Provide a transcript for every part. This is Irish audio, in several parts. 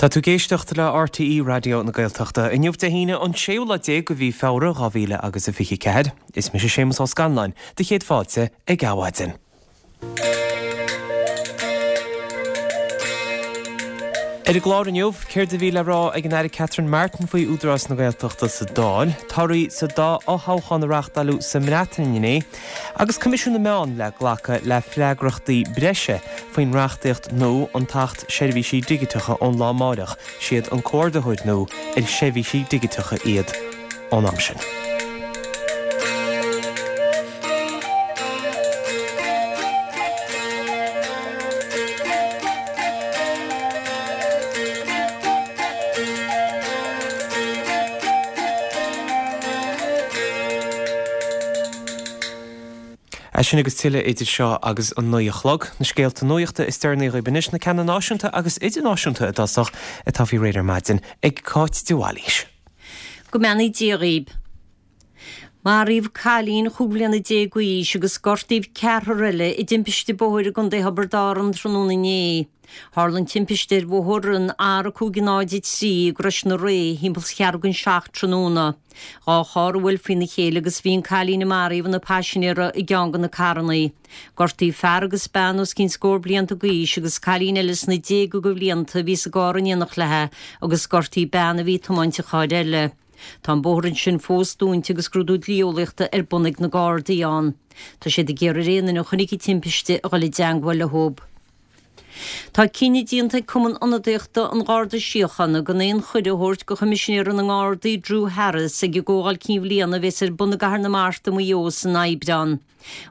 Tá tú ag éisteacht le RTÉ Raidió na Gaeltachta. Inniu Dé hAoine an séú lá déag de mhí Feabhra 2000 agus a 24. Is mise Séamus Ó Scanláin, do chéad fáilte ag Adhmhaidin. Ar an gclár inniu, céard a bhí le rá ag an Aire Catherine Martin faoi Údarás na Gaeltachta sa Dáil, torthaí sa dá fhothoghchán a reáchtáileadh sa mBreatain inné, agus Coimisiún na Meán le glacadh le freagrachtaí breise faoin reachtaíocht nua, an tAcht Seirbhísí Digiteacha ón lá amáireach, siad an comhordaitheoir nua ar sheirbhísí digiteacha iad ón am sin. É sin agus tuilleadh idir seo agus an 9 a chlog. Na scéalta nuachta is deireanaí dhaoibh anois, na ceanna náisiúnta agus idirnáisiúnta i dtosach, atá faoi réir ar maidin ag Cáit de Bhailís. Go mbeannaí Dia dhaoib. Maraíodh cailín chúig bhliana déag d'aois agus gortaíodh ceathrar eile i dtimpiste bóthair i gContae Thiobraid Árann tráthnóna inné. Tharla an timpiste ar bhóthar an R503 i gCrois na Ré thimpeall cheathrú don seacht tráthnóna. Dá charr a bhuail faoina chéile agus bhí an cailín a maraíodh ina paisinéir i gceann de na carrannaí. Gortaíodh fear agus bean os cionn scór blianta d'aois agus cailín eile sna déaga de bhlianta a bhí sa gcarr in éineacht léi agus gortaíodh bean a bhí ag tiomáint an chairr eile. Tá an bóthar ansin fós dúnta agus scrúdú dlí-eolaíochta ar bun ag na Gardaí ann. Tá siad ag iarraidh ar aon duine a chonaic an timpiste a dhul i dteangmháil leo. Tá cinneadh déanta ag Cumann Ionadaíochta an Gharda Síochána gan aon chuireadh a thabhairt do Choimisinéara na nGardaí Drew Harris ag an gComhdháil Cinn Bhliana a bheas ar bun i gCathair na Mart i Maigh Eo san Aibreán.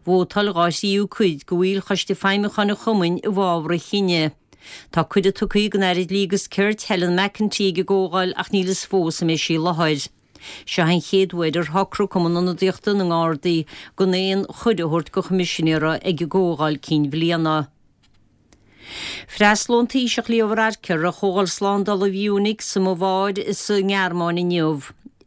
Vótáil dhá thríú cuid de bhaill Choiste Feidhmiúcháin an Chumainn i bhfabhar an chinnidh. Tá cuireadh tugtha don Aire Dlí agus Cirt, Helen McEntee ag an gcomhdháil ach níl fhios fós an mbeidh sí i láthair. Seo an chéad uair ar shocraigh Cumann Ionadaíochta na nGardaí gan aon chuireadh a thabhairt don Choimisinéara ag an gcomhdháil cinn bhliana. Freastalóidh an Taoiseach Leo Varadkar ar Chomhdháil Slándála Mhunich sa mBaváir sa nGearmáin inniu.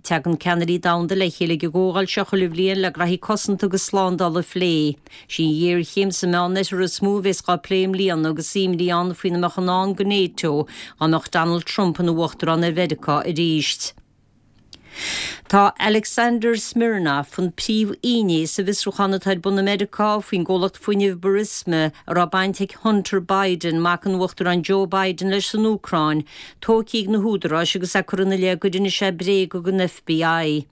Tagann ceannairí domhanda le chéile ag an gcomhdháil seo chuile bhliain le graithí cosanta agus slándála a phlé. Sí an ghéarchéim sa Meánoirthear is mó a bheas dhá plé i mbliana agus imní ann faoina mbeadh i ndán do NATO dá mbeadh Donald Trump ina uachtarán ar Mheiriceá arís. Tá Alexander Smirnov, an príomhfhinné sa bhfiosrúchán atá ar bun i Meiriceá faoin gcomhlacht fuinnimh Burisma a raibh baint ag Hunter Biden, mac an Uachtaráin Joe Biden, leis san Úcráin, tógtha ag na húdaráis agus é curtha ina leith gur inis sé bréaga don FBI.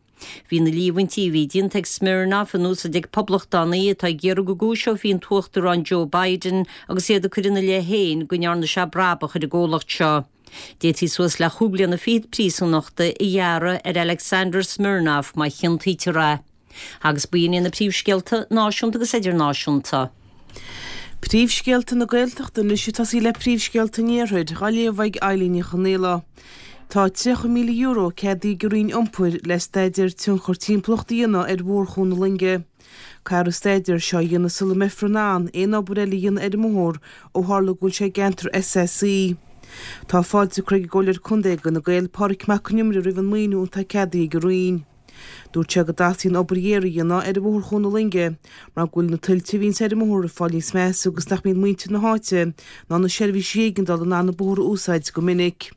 Bhí na líomhaintí a bhí déanta ag Smirnov in úsáid ag poblachtánaigh atá ag iarraidh go gcúiseofaí an tUachtarán Joe Biden agus iad ag cur ina leith féin go ndearna sé brabach ar an gcomhlacht seo. D'fhéadfaí suas le chúig bliana fichead príosúnachta a ghearradh ar Alexander Smirnov má chiontaítear é. Agus b'in iad na príomhscéalta náisiúnta agus idirnáisiúnta. Príomhscéalta na Gaeltachta anois ag tosaí le príomhscéalta an Iarthair, á léamh ag Eilín Ní Chonaola. Tá €30,000 ceadaithe ag an Roinn Iompair le staidéar tionchar timpeallachta a dhéanamh ar Bhóthar Chuan na Loinge. Caithfear an staidéar seo a dhéanamh sula mbeifear in ann aon obair eile a dhéanamh ar an mbóthar ó tharla go bhfuil sé i gceantar SSE. Tá fáilte curtha ag an gComhairleoir Contae d'Fhine Gael, Pádraig Mac Con Iomaire roimh an maoiniú atá ceadaithe ag an Roinn. Dúirt sé go dteastaíonn obair ghéar a dhéanamh ar Bhóthar Chuan na Loinge mar go bhfuil na tuilte a bhíonns ar an mbóthar ag fáil níos measa agus nach mbíonn muintir na háite ná na seirbhísí éigeandála in ann an bóthar a úsáid go minic.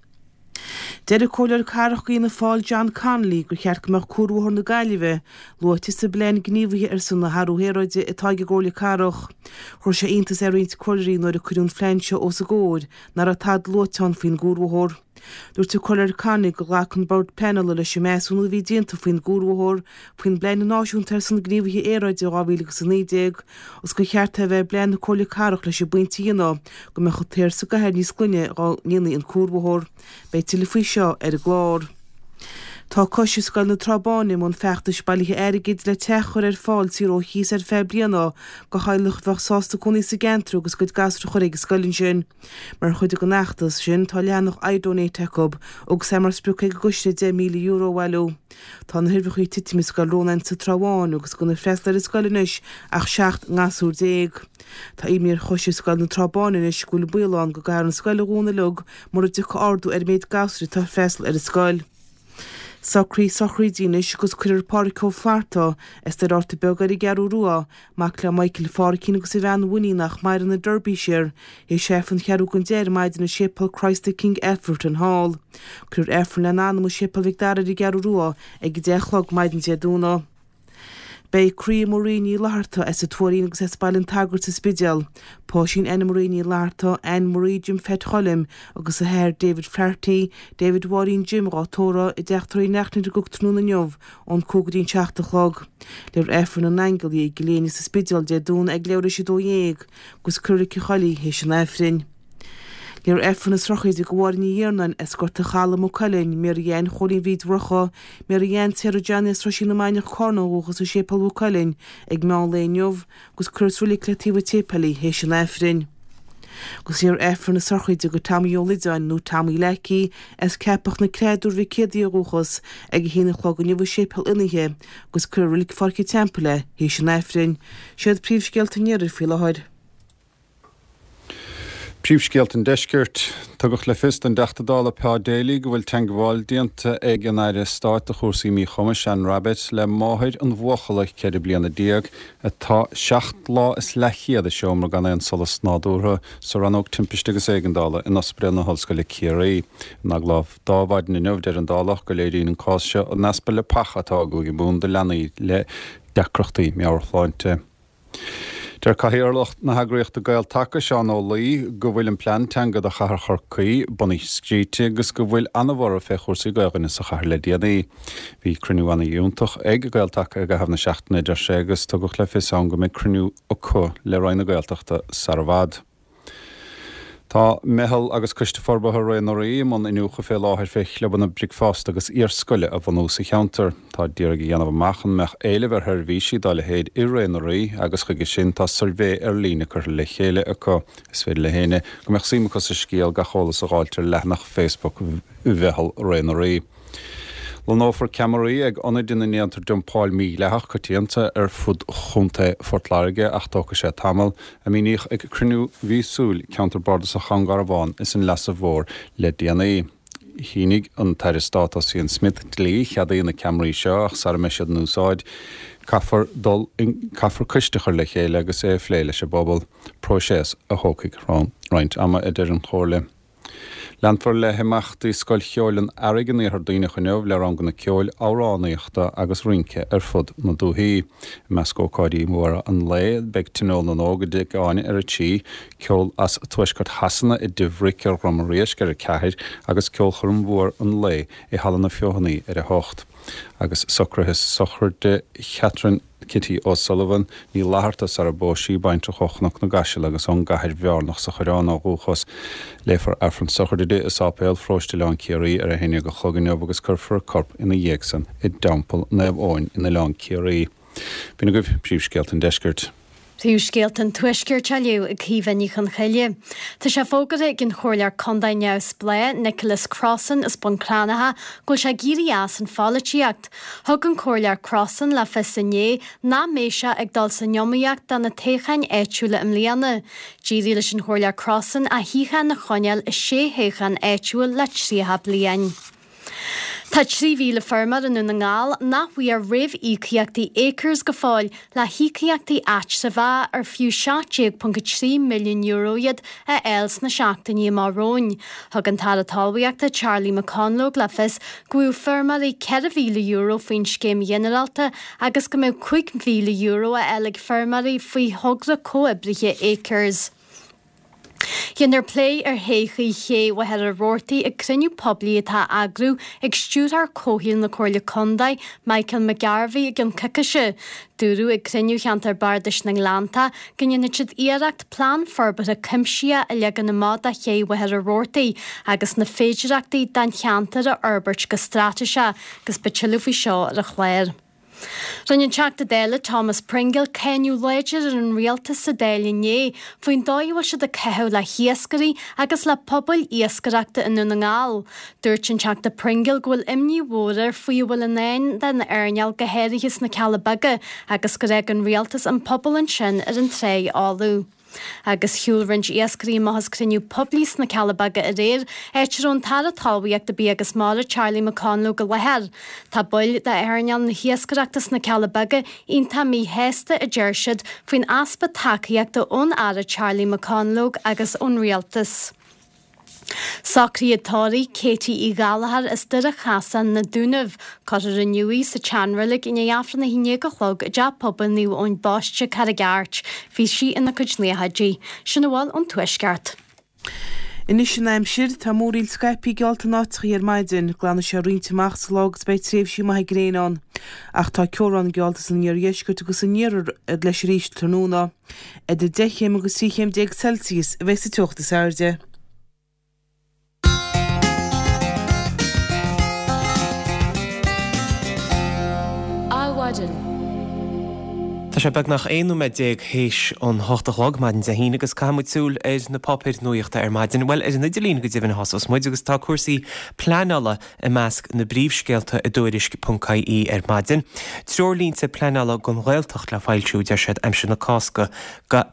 Deir an Comhairleoir Cathrach d'Fhianna Fáil John Connolly gur cheart go mbeadh Cuarbhóthar na Gaillimhe luaite sa bPlean Gníomhaithe ar son na hAthrú hAeráide atá ag an gComhairle Cathrach. Chuir sé iontas ar roinnt comhairleoirí nuair a cuireadh an phlean seo os a gcomhair nach raibh tada luaite ann faoin gcuarbhóthar. Dúirt an Comhairleoir Connolly gur ghlac an Bord Pleanála leis an measúnú a bhí déanta faoin gcuarbhóthar faoin bPlean Náisiúnta ar son Gníomhaithe Aeráide 2019 agus gur cheart é a bheith i bplean na Comhairle Cathrach leis an bpointe a dhéanamh go mbeadh an t-aer sa gcathair níos glaine dá ndéanfaí an cuarbhóthar. Beidh tuilleadh faoi seo ar an gclár. Tá Coiste Scoil na Trá Báine i mbun feachtais bailithe airgid le teach a chur ar fáil saor ó chíos ar feadh bliana do theaghlach a bheadh sásta cónaí sa gceantar agus a gcuid gasúr a chur ag an scoil ansin. Mar chuid den fheachtas sin tá leathanach iDonate acu agus é mar sprioc ag an gcoiste €10,000 a bhailiú. Tá na huimhreacha ag titim i Scoil Rónáin sa Trá Bháin agus gan ag freastal ar an scoil anois ach 17 ngasúr. Tá imní ar Choiste Scoil na Trá Báine anois go bhfuil baol ann go gcaithfear an scoil a dhúnadh uilig mura dtiocfaidh ardú ar an méid gasúir atá ag freastal ar an scoil. Socruithe sochraide anois agus cuirfear Pádhraic Ó Flatharta as Doire Fhatharta Beag ar an gCeathrú Rua, mac le Michael Phádhraicín agus a bhean Winnie nach maireann i Derbyshire, théis Aifreann cheathrú don deich ar maidin i Séipéal Christ the King Alfreton Hall. Cuirfear Aifreann lena anam i Séipéal Mhic Dara ar an gCeathrú Rua ag 10 a chlog maidin Dé Domhnaigh. Beidh Croí Marie Ní Fhlatharta as an Tuairín agus as Baile an tSagairt sa Spidéal, Páisín Anna Marie Ní Fhlatharta, Ann Marie Jim Pheait Choilm agus a hathair David Flaherty, David Mháirín Jim dhá tórramh i dTeach Tórraimh Uí Neachtain i gCnoc tráthnóna inniu ón 5 go dtí an 7 a chlog. Léifear Aifreann na nAingeal i gCill Éinne sa Spidéal Dé Domhnaigh ag leathuair tar éis 12 agus cuirfear i Reilig an Choilligh théis an Aifrinn. Léifear Aifreann na sochraide do Mháire Ní Iarnáin as Gort an Chalaidh, Maigh Cuilinn, Mary Ann Chóilín Bhríd Mhurchadh, Mary Ann Sarah Johnny as Roisín na Mainiach Carna ó dhúchas i Séipéal Mhaigh Cuilinn ag meán lae inniu agus cuirfear sa reilig le taobh an tséipéil í théis an Aifrinn. Agus léifear Aifreann na sochraide do Tommy Ó Loideáin nó Tommy Leacaí as Ceapach na Creá Dúr Mhic Éadaigh ó dhúchas ag a haon a chlog inniu i Séipéal Fhionnaithe agus cuirfear i Reilig Pháirc an Teampaill é théis an Aifrinn. Siad príomhscéalta an iarthair faoi láthair. Príomhscéalta an Deiscirt. Tugadh le fios don dTeachta Dála Pa Daly go bhfuil teangmháil déanta ag an Aire Stáit do chúrsaí Míchumais, Anne Rabbitte, le máthair an bhuachalla 14 bliana atá seacht lá is leathchéad i seomra gan aon solas nádúrtha sa Rannóg Timpiste agus Éigeandála in Ospidéal na hOllscoile Ciarraí. In agallamh dó maidin inniu, deir an Dálach go léiríonn an cás seo an easpa leapacha atá i gCúige Mumhan do leanaí le deacrachtaí meabhairshláinte. Deir Cathaoirleach na heagraíochta Gael-Taca, Seán Ó Laoi, go bhfuil an plean teanga do chathair Chorcaí bunaithe scríte agus go bhfuil ana-bhorradh fé chúrsaí Gaelainne sa chathair le déanaí. Bhí cruinniú ana-fhiúntach ag Gael-Taca i gcaitheamh na seachtaine, a deir sé, agus tugadh le fios ann go mbeidh cruinniú acu le Roinn na Gaeltachta sara bhfad. Tá Meitheal agus Coiste Forbartha Ré na Rí i mbun iniúchadh fé láthair fé chlubanna bricfeasta agus iarscoile a bhunú sa cheantar. Táid d'iarraidh a dhéanamh amach an mbeadh éileamh ar sheirbhísí dá leithéid i Ré na Rí agus chuige sin tá suirbhé ar líne curtha le chéile acu. Is féidir le héinne go mbeadh suim acu sa scéal gach eolas a dh'fháilt ar leathanach Facebook Mheitheal Ré na Rí. Lonnófar ceamaraí ag ionaid ina ndéantar dumpáil mhídhleathach coitianta ar fud Chontae Phort Láirge ach tógfaidh sé tamall, a míníodh ag cruinniú mhíosúil Ceantar Bardasach Dhún Garbhán is an Leasa Mhóir le déanaí. Shínigh an tAire Stáit Ossian Smyth dlí a cheadaíonn na ceamaraí seo ach sara mbeidh siad in úsáid caithfear dul caithfear coiste a chur le chéile agus é a phlé leis an bpobal, próiseas a thógfaidh roinnt ama, a deir an Chomhairle. Leanfar le himeachtaí Scoil Cheoil an Earraigh in Iarthar Duibhneach inniu le ranganna ceoil, amhránaíochta agus rince ar fud na dúichí. I measc ócáidí móra an lae beidh Tionól na nÓg i dTigh Áine ar a 3, ceol as tuaisceart Shasana i dTigh Bhric ar Dhrom an Riasc ar 4 agus ceolchoirm mhór an lae i Halla na Feothanaí ar 8. Agus socruithe sochraide Chatherine Kitty O'Sullivan, Ní Fhlatharta, sara bpós sí, baintreach ó Chnoc na gCaiseal agus ón gCathair Bhearnach sa Choireán ó dhúchas. Léifear Aifreann sochraide di i Sáipéal Pharóiste Oileán Ciarraí ar a haon dhéag a chlog inniu agus cuirfear a corp ina dhiaidh san i dTeampall Naomh Eoin in Oileán Ciarraí. B'in agaibh príomhscéalta an deiscirt. Príomhscéalta an Tuaiscirt á léamh ag Caoimhe Ní Chonchoille. Tá sé fógartha ag an Chomhairleoir Contae neamhspleách, Nicholas Crossan as Bun Cranncha, go bhfuil sé ag éirí as an pholaitíocht. Thug an Comhairleoir Crossan le fios inné nach mbeidh sé ag dul san iomaíocht do na toghcháin áitiúla i mbliana. D'éirigh leis an Chomhairleoir Crossan a shuíochán a choinneáil i sé thoghchán áitiúil le 30 bliain. Tá 3,000 feirmeoir i nDún na nGall nach bhfuair réamhíocaíochtaí Acres go fóill le híocaíochtaí áitreabhach ar fiú €17.3 milliún iad a fháil sna seachtainí amach romhainn. Thug an tAire Talmhaíochta Charlie McConalogue le fios go bhfaigheadh feirmeoirí €4,000 faoin scéim ghinearálta agus go mbeadh €5,000 á fháil ag feirmeoirí faoi thogra comhoibrithe Acres. Déanfar plé ar thodhchaí ché Mhachaire Rabhartaigh ag cruinniú poiblí atá á eagrú ag Stiúrthóir Comhshaoil na Comhairle Contae, Michael McGarvey i gceann coicíse. Dúradh ag cruinniú Cheantar Bardais na nGleannta go ndéanfaidh siad iarracht plean forbartha cuimsitheach a leagan amach do ché Mhachaire Rabhartaigh agus na féidireachtaí don cheantar a fhorbairt go straitéiseach agus beidh tuilleadh faoi seo ar an chlár. Rinne an Teachta Dála Thomas Pringle cáineadh láidir ar an Rialtas sa Dáil inné faoin dóigh a bhfuil siad ag caitheamh le hiascairí agus le pobail iascaireachta i nDún na nGall. Dúirt an Teachta Pringle go bhfuil imní mhór air faoi a bhfuil i ndán don earnáil go háirithe sna Cealla Beaga agus gur fhág an Rialtas an pobal ansin ar an tráigh fholamh. Agus shiúil roinnt iascairí amach as cruinniú poiblí sna Cealla Beaga aréir, áit a raibh an tAire Talmhaíochta, Bia agus Mara, Charlie McConalogue i láthair. Tá baill d'earnáil na hiascaireachta sna Cealla Beaga iontach míshásta, a deir siad, faoin easpa tacaíochta ón Aire Charlie McConalogue agus ón Rialtas. Socraid tórraimh Katie Uí Ghallchóir as Doire Chasáin, Na Dúnaibh. Cuirfear inniu í sa tseanreilig i ndiaidh Aifreann a 11 a chlog i dTeach Pobail Naomh Eoin Baiste, Carraig Airt. Bhí sí ina cuid naochaidí. Sin a bhfuil ón Tuaisceart. Anois an aimsir, tá múraíl scaipthe geallta in áiteachaí ar maidin. Glanfaidh sé roinnt amach sa lá agus beidh tréimhsí maithe gréine ann. Ach tá ceobhrán geallta san iardheisceart agus san iarthar leis arís tráthnóna. Idir 10 chéim agus 13 chéim Celsius a bheidh sa teocht is airde. Adhmhaidin. Tá sé beagnach 11 nóiméad théis an hocht a chlog, maidin Dé hAoine, agus caithfidh muid súil ar na páipéir nuaíochta ar maidin. Bhuel, ar an idirlíon go deimhin a thosós muid, agus tá cúrsaí pleanála i measc na bpríomhscéalta i dTuairisc ponc ie ar maidin. Treoirlínte pleanála don Ghaeltacht le foilsiú, deir siad, aimsir na Cásca,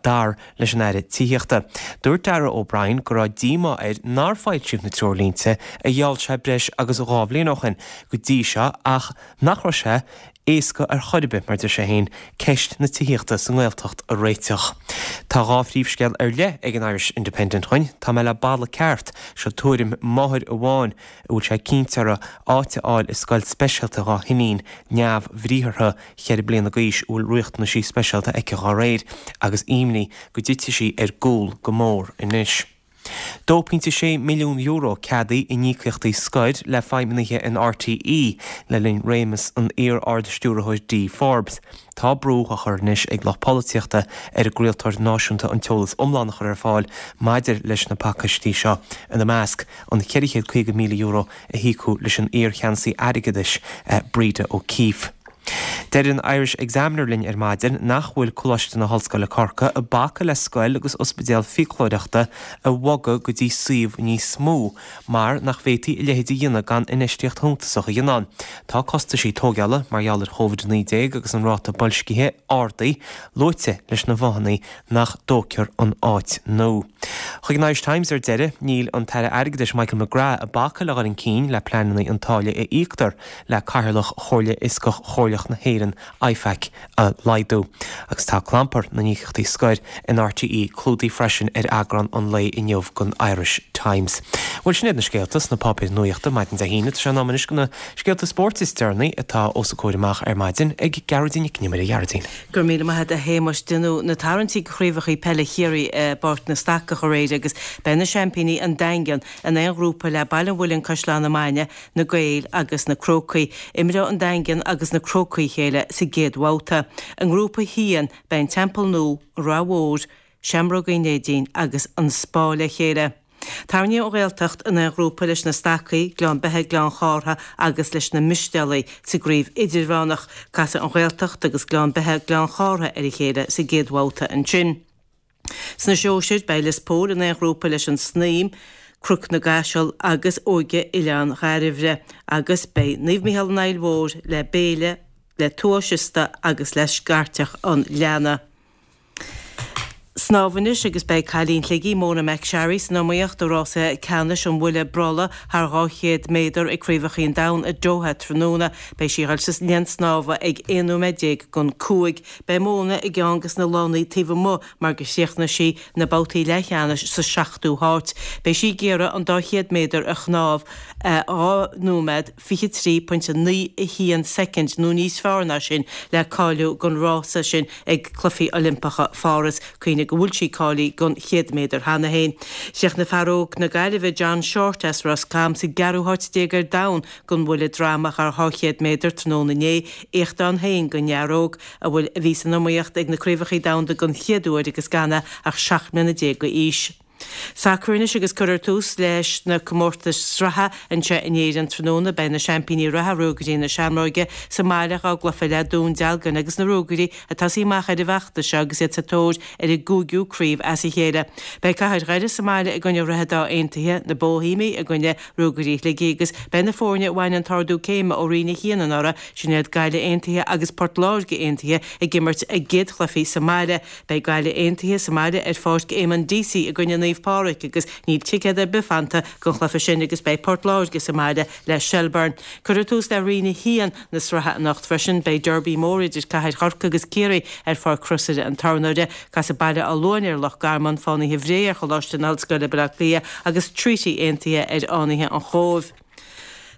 dar leis an Aire Tithíochta. Dúirt Darragh O'Brien go raibh díomá air nár foilsíodh na treoirlínte a gheall sé breis agus 2 bhliain ó shin go dtí seo ach nach raibh sé éasca ar chor ar bith, mar deir sé féin, ceist na tithíochta sa nGaeltacht a réiteach. Tá 2 phríomhscéal ar leith ag an Irish Independent dhuinn, Tá mé le balla ceart, seo tuairim máthair amháin a bhfuil sé cinnte uirthi áit a fháil i scoil speisialta dhá hiníon neamhbhriathartha cheithre bliana d'aois a bhfuil riachtanaisí speisialta aici dhá réir, agus imní go dtitfidh sí ar gcúl go mór anois. €2.6 milliún ceadaithe in íocaíochtaí scoir le feidhmeannaithe in RTÉ le linn réimeas an iar-Ard-Stiúrthóir Dee Forbes. Tá brú á chur anois ag lucht polaitíochta ar an gcraoltóir náisiúnta an t-eolas iomlán a chur ar fáil maidir leis na pacáistí seo, ina measc, an €450,000 a híocadh leis an iar-cheannasaí airgeadais, Breda O'Keeffe. Deir an Irish Examiner linn ar maidin nach bhfuil Coláiste na hOllscoile Corcaigh ag bacadh le scoil agus ospidéal fiaclóireachta a bhogadh go dtí suíomh níos mó mar nach bhféadfaí a leithéid a dhéanamh gan infheistíocht shuntasach a dhéanamh ann. Tá costaisí tóigeála mar gheall ar Covid-19 agus an ráta boilscithe ardaithe luaite leis na fáthanna nach dtógfar an áit nua. Chuig an Irish Times ar deireadh, níl an tAire Airgeadais Michael McGrath ag bacadh le dhul chun cinn le pleananna an táille a íoctar le Cathaoirleach Chomhairle Fhioscach Chomhairleach na hÉireann, IFAC, a laghdú. Agus tá clampar na n-íocaíochtaí scoir in RTÉ clúdaithe freisin ar eagrán an lae inniu den Irish Times. Bhuel, sin iad na scéalta sna páipéir nuaíochta maidin Dé hAoine. Tá sé in am anois do na scéalta spóirt is deireanaí atá os a comhair amach ar maidin ag Gearóidín Nic Con Iomaire. A Ghearóidín. Go raibh míle maith agat a Shéamais. Déanadh na tarraingtí do chraobhacha peile Chiarraí i bPáirc na Stacach aréir agus beidh na seaimpíní, an Daingean, in aon ghrúpa le Baile an Mhuilinn Caisleán na Mainge, na Gaeil agus na Crócaigh. Imreoidh an Daingean agus na Crócaigh a chéile sa gcéad bhabhta. I ngrúpa a haon, beidh an Teampall Nua, an Ráth Mhór, Seamróga Uí Neidín agus an Spá le chéile. Tarraingíodh an Ghaeltacht in aon ghrúpa leis na Stacaigh, Gleann Beithe, Gleann Chártha agus leis na Mistéalaigh sa gcraobh idirmheánach. Casfaidh an Ghaeltacht agus Gleann Beithe, Gleann Chártha ar a chéile sa gcéad bhabhta ansin. Sna sóisir, beidh Lios Póil in aon ghrúpa leis an Snaidhm, Cnoc na gCaiseal agus Óige Oileán Dhairbhre agus beidh Naomh Micheál an Aill Mhóir le Béile, le Tuath Siosta agus le Scairteach an Leanna. Snámh anois agus beidh cailín Shligigh, Mona McSharry, san iomaíocht i rása ceannais an bhuille brollaigh thar 200 méadar ag Craobhacha an Domhain i Doha tráthnóna. Beidh sí ag dul sa linn snámha ag 11 nóiméad don 5. Beidh Mona i gceann des na lánaí taobh amuigh mar gur chríochnaigh sí na babhtaí leathcheannais sa seachtú háit. Beidh sí ag iarraidh an dá chéad méadar a shnámh i 2 nóiméad 23.91 soicind nó níos fearr ná sin le cáiliú don rása sin ag Cluichí Oilimpeacha Pháras. Cuimhnigh go bhfuil sí cáilithe don 100 méadar cheana féin. Chríochnaigh fear óg na Gaillimhe John Shortt as Ros Com sa gceathrú háit déag ar domhan don bhuille droma thar 200 méadar tráthnóna inné, éacht ann féin don fhear óg a bhfuil a bhí san iomaíocht ag na Craobhacha Domhanda don chéad uair agus gan é ach 17 mbliana d'aois. Sacar anois agus cuirfear tús leis na comórtais sraithe anseo in Éirinn tráthnóna. Beidh na seaimpíní reatha, Ruagairí na Seamróige, sa mbaile dhá gcluiche le Dún Dealgan agus na Ruagairí ag tosaí amach ar an bhfeachtas seo agus iad sa tóir ar a gcúigiú craobh as a chéile. Beidh Cathair Dhoire sa mbaile i gcoinne Dhroichead Átha Aontaithe, na Bóihéimigh i gcoinne Ruagairí Shligigh agus beidh na foirne a bhain an t-ardú céime ó Roinn 1 anuraidh, sin iad Gaillimh Aontaithe agus Port Láirge Aontaithe, ag imirt a gcéad chluichí sa mbaile. Beidh Gaillimh Aontaithe sa mbaile ar Pháirc Éamonn Deasy i gcoinne Naomh Pádraig agus níl ticéad ar bith fanta don chluiche sin agus beidh Port Láirge sa mbaile le Shelbourne. Cuirfear tús le Roinn 1 na sraithe anocht freisin. Beidh derby mór idir Cathair Chorcaí agus Ciarraí ar Pháirc Chrosaire an Tornóire. Casfaidh Baile Átha Luain ar Loch Garman, Fánaithe Bhré ar Choláiste na hOllscoile Baile Átha Cliath agus Treaty Aontaithe ar Fhánaithe an Chóibh.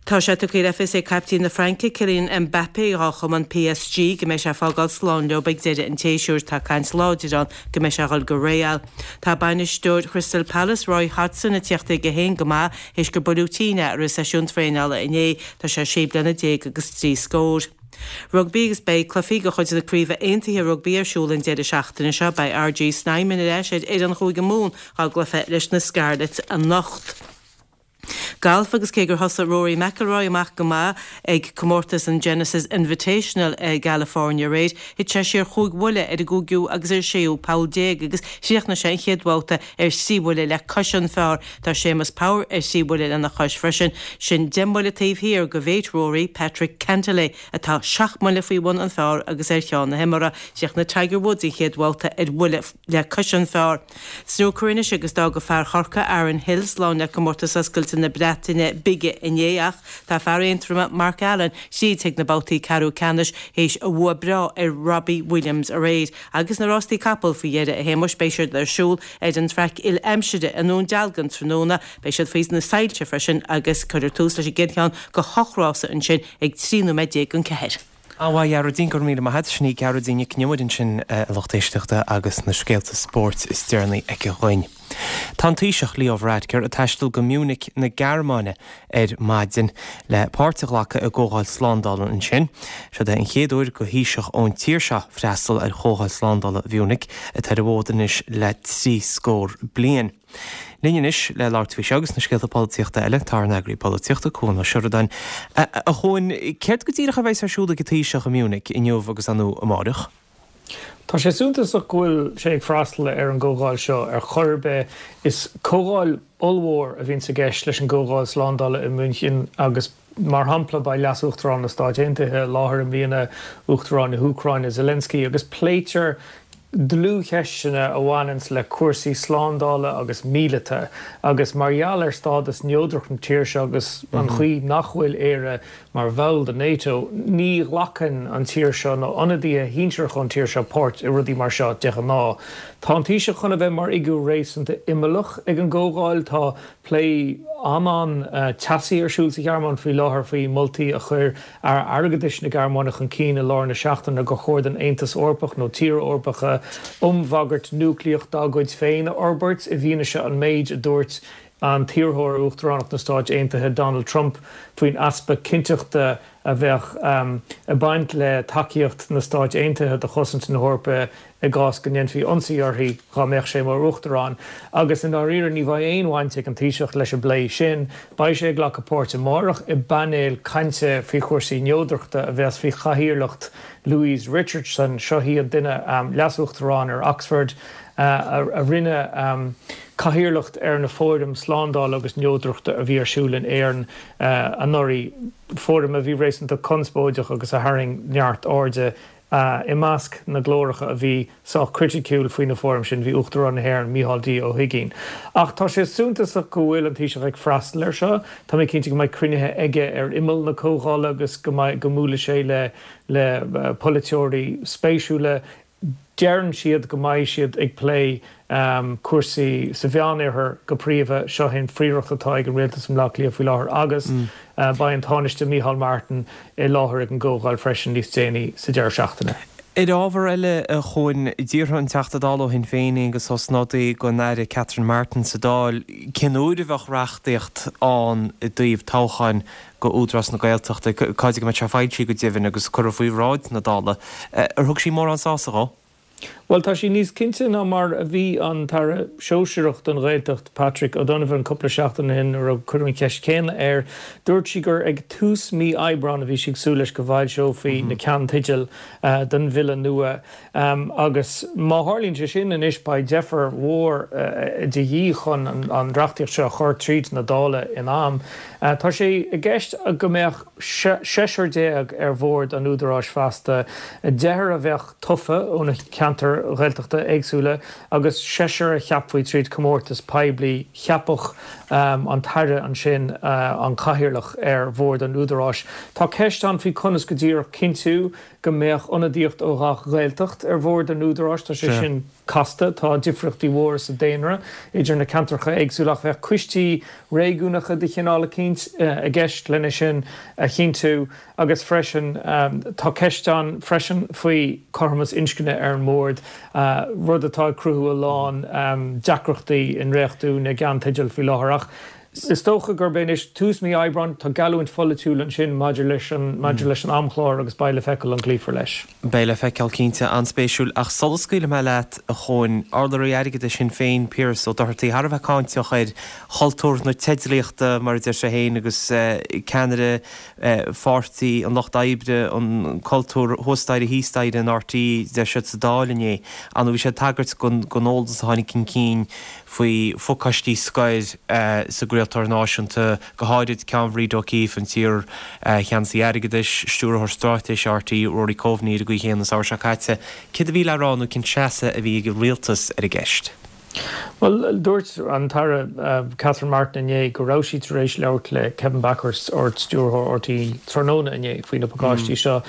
Tá sé tugtha le fios ag caiptín na Fraince, Kylian Mbappé, dhá chumann PSG, go mbeidh sé ag fágáil slán leo ag deireadh an tséasúir. Tá caint láidir ann go mbeidh sé ag dhul go Real. Tá bainisteoir Chrystal Palace, Roy Hodgson, ag tíocht chuige féin go maith théis gur buaileadh tinn é i rith seisiún traenála inné. Tá sé sé bliana déag agus dtrí scór. Rugbaí agus beidh cluichí de chuid na Craoibhe Aontaithe Rugbaí ar siúl an deireadh seachtaine seo. Beidh RG Snyman ar ais ar fhoireann Chúige Mumhan dhá gcluiche leis na Scarlets anocht. Galf agus cé gur thosaigh Rory McIlroy amach go maith ag comórtas an Genesis Invitational i gCalifornia aréir, thit sé siar chúig bhuille ar an gcúigiú agus ar an séú poll déag agus chríochnaigh sé an chéad bhabhta ar thrí bhuille le cois an phar. Tá Séamus Power ar thrí bhuille lena chois freisin, sin deich mbuille taobh thiar de mhéit Rory, Patrick Cantlay, atá seacht mbuille faoi bhun an phar agus ar cheann na himeartha. Chríochnaigh Tiger Woods an chéad bhabhta ar bhuille le cois an phar. Snúcar anois agus d'fhág fear Chorcaí Aaron Hill slán le Comórtas Oscailte na Breataine Bige inné ach tá fear Aontroma Mark Allen tríd chuig na babhtaí ceathrú ceannais théis a bhua breá ar Robbie Williams aréir. Agus na rástaí capall faoi dheireadh a Shéamuis beidh siad ar siúl ar an traic uile-aimsire i nDún Dealgan tráthnóna. Beidh siad faoi na soilse freisin agus cuirfear tús leis an gcéad cheann de hocht rása ansin ag 13 nóiméad don cheathair. An-mhaith, a Ghearóidín, go raibh míle maith agat. Sin í Gearóidín Nic an Iomaire ansin, a lucht éisteachta, agus na scéalta spóirt is deireanaí aici dhuinn. Tá an Taoiseach, Leo Varadkar, ag taisteal go Munich na Gearmáine ar maidin le páirt a ghlacadh i gcomhdháil slándála ansin. Seod é an chéad uair do Thaoiseach ón tír seo freastal ar Chomhdháil Slándála Mhunich, atá ar an bhfód anois le trí scór bliain. Linn anois le labhairt faoi seo agus na scéalta polaitíochta eile, tá ár n-eagraí polaitíochta, Cuan Ó Seireadáin. A Chuain, céard go díreach a bheas ar siúl ag an Taoiseach i Munich inniu agus ar ndóigh amáireach? Tá sé suntasach go bhfuil sé ag freastal ar an gcomhdháil seo ar chor ar bith. Is comhdháil ollmhór a bhíonns i gceist leis an gcomhdháil slándála i München agus mar shampla beidh Leas-Uachtarán na Stáit Aontaithe i láthair i mbliana, Uachtarán na hÚcráine Zelensky agus pléitear dlúthcheisteanna a bhaineanns le cúrsaí slándála agus míleata agus mar gheall ar stádas neodrach na tíre seo agus an chaoi nach bhfuil Éire mar bhall de NATO, ní ghlacann an tír seo nó ionadaithe shinsearacha ón tír seo páirt i rudaí mar seo de ghnáth. Tá an Taoiseach chun a bheith mar fhigiúr réasúnta imeallach ag an gcomhdháil. Tá plé an-an-teasaí ar siúl sa Ghearmáin faoi láthair faoi mholtaí a chuir Aire Airgeadais na Gearmáine chun cinn i lár na seachtaine gur chóir don Aontas Eorpach nó tíortha Eorpacha iom-bhagairt núicléach dá gcuid féin a fhorbairt i bhfianaise an méid a dúirt an t-iarrthóir ar Uachtaránacht na Stáit Aontaithe Donald Trump faoin easpa cinnteachta a bheadh ag baint le tacaíocht na Stáit Aontaithe do chosaint na hEorpa i gcás go ndéanfaí ionsaí uirthi dhá mbeadh sé mar Uachtarán. Agus i ndáiríre ní bheidh aon bhaint ag an Taoiseach leis an bplé sin. Beidh sé ag glacadh páirte amárach i bpainéal cainte faoi chúrsaí neodrachta a bheas faoi chathaoirleacht Louise Richardson. Seo í an duine, Leas-Uachtarán ar Oxford, a rinne cathaoirleacht ar na fóiraim slándála agus neodrachta a bhí ar siúl in Éirinn anuraidh, fóiraim a bhí réasúnta conspóideach agus a tharraing neart airde I measc na nglóracha a bhí sách criticiúil faoi na fóraim sin bhí Uachtarán na hÉireann, Micheál D. Ó hUigínn. Ach tá sé suntasach go bhfuil an Taoiseach ag freastal air seo. Tá mé cinnte go mbeidh cruinnithe aige ar imeall na comhdhála agus go mbeidh, go mbuailfidh sé le le polaiteoirí spéisiúla. Deireann siad go mbeidh siad ag plé cúrsaí sa Mheánoirthear go príomha. Seo é an phríoracht atá ag an rialtas i mBleá Cliath faoi láthair agus beidh an Tánaiste Micheál Martin i láthair ag an gcomhdháil freisin níos déanaí sa deireadh seachtaine. Ar ábhar eile, a Chuain, d'fhiafraigh an Teachta Dála ó Shinn Féin, Aengus Ó Snodaigh, den Aire Catherine Martin sa Dáil cén uair a bheadh reachtaíocht ann i dtaobh toghcháin go Údarás na Gaeltachta, cá fhad go mbeadh sé foilsithe go deimhin agus curtha faoi bhráid na Dála. Ar thug sí mórán sásamh dhó? Bhuel, tá sí níos cinnte ná mar a bhí an tAire Sóisearach don Ghaeltacht, Patrick O'Donovan, cúpla seachtain ó shin nuair a cuireadh an cheist chéanna air. Dúirt sí gur ag tús mí Aibreáin a bhí sí ag súil leis go bhfoilseofaí na ceannteidil don bhille nua. Agus má tharlaíonn sé sin anois beidh deifir mhór de dhíth chun an reachtaíocht seo a chur tríd na Dála in am. Tá sé i gceist go mbeadh seisear ar bhord an Údaráis feasta, deichniúr a bheadh tofa ó na ceantair Ghaeltachta éagsúla agus seisear a cheapfaí tríd comórtas poiblí. Cheapfadh an tAire ansin an cathaoirleach ar bhord an Údaráis. Tá ceist ann faoi conas go díreach cinntiú go mbeadh ionadaíocht ó ghach Ghaeltacht ar bhord an Údaráis. Tá sé sin casta. Tá difríochtaí mhóra sa daonra idir na ceantracha éagsúla ach bheadh coistí réigiúnacha de chineál eicínt i gceist lena sin a chinntiú. Agus freisin, tá ceist ann freisin faoi chothromas inscne ar an mbord, rud atá ag cruthú a lán deacrachtaí i ndréachtú na gceannteideal faoi láthair. Ach is dócha gurb é anois tús mí Aibreáin, tá geallúint pholaitiúil ansin maidir leis an maidir leis an amchlár agus beidh le feiceáil an gcloífear leis. Beidh le feiceáil cinnte. An-spéisiúil. Ach sula scaoilfidh mé leat, a Chuain, urlabhraí airgeadais Shinn Féin, Piaras Ó Dochartaigh, thar a bheith cáinteach ar chultúr na teidlíochta, mar a deir sé féin, agus ceannaire Pháirtí an Lucht Oibre, an cultúr thuas staighre thíos staighre in RTÉ, deir siad sa Dáil inné. Ar ndóigh bhí sé ag tagairt don eolas a tháinig chun cinn faoi phacáistí scoir sa gcraoltóir náisiúnta, go háirid ceann Bhríd O'Keeffe, an t-iar-cheannasaí airgeadais, Stiúrthóir Straitéise RTÉ, Rory Coveney ar an gcaoi chéanna an samhradh seo caite. Céard a bhí le rá nó cén seasamh a bhí ag an rialtas ar an gceist? Bhuel, dúirt an tAire Catherine Martin inné go raibh sí tar éis labhairt le Kevin Bakhurst, Ard-Stiúrthóir RTÉ, tráthnóna inné faoi na pacáistí seo.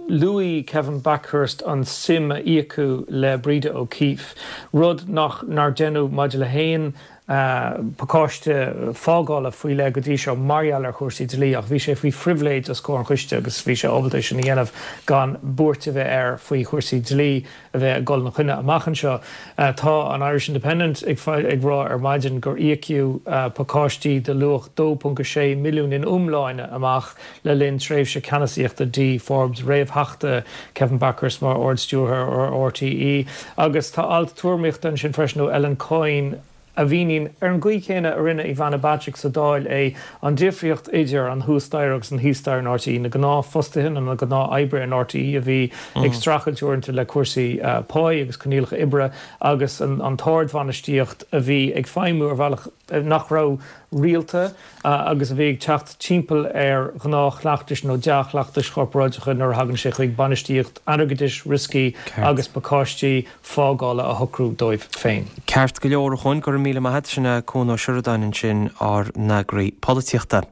Luaigh Kevin Bakhurst an suim a íocadh le Breda O'Keeffe, rud nach nár deineadh maidir le haon pacáiste fágála faoi leith go dtí seo mar gheall ar chúrsaí dlí ach bhí sé faoi phribhléid os comhair an choiste agus bhí sé ábalta é sin a dhéanamh gan buairt a bheith air faoi chúrsaí dlí. a bheith ag dul ina choinne amach anseo. Tá an Irish Independent ag rá ar maidin gur íocadh pacáistí de luach 2.6 milliún in iomláine amach le linn tréimhse ceannasaíochta Dee Forbes réamhtheachta Kevin Bakhurst mar Ard-Stiúrthóir ar RTÉ. Agus tá alt tuairimíochta ansin freisin ó Ellen Coyne, a mhíníonn, ar an gcaoi chéanna a rinne Ivana Bacik sa Dáil é, an difríocht idir an thuas staighre agus an thíos staighre in RTÉ, na gnáthfhostaithe nó na gnáth-oibrithe in RTÉ a bhí ag streachailt uaireanta le cúrsaí páí agus coinníollacha oibre agus an t-ardbhainistíocht a bhí ag feidhmiú ar bhealach nach raibh rialta agus a bhí ag teacht timpeall ar ghnáthchleachtais nó dea-chleachtais chorparáideacha nuair a thagann sé chuig bainistíocht airgeadais, rioscaí agus pacáistí fágála a shocrú dóibh féin. Ceart go leor, a Chuain, go raibh míle maith agat. Sin é Cuan Ó Seireadáin ansin, ár n-eagraí polaitíochta.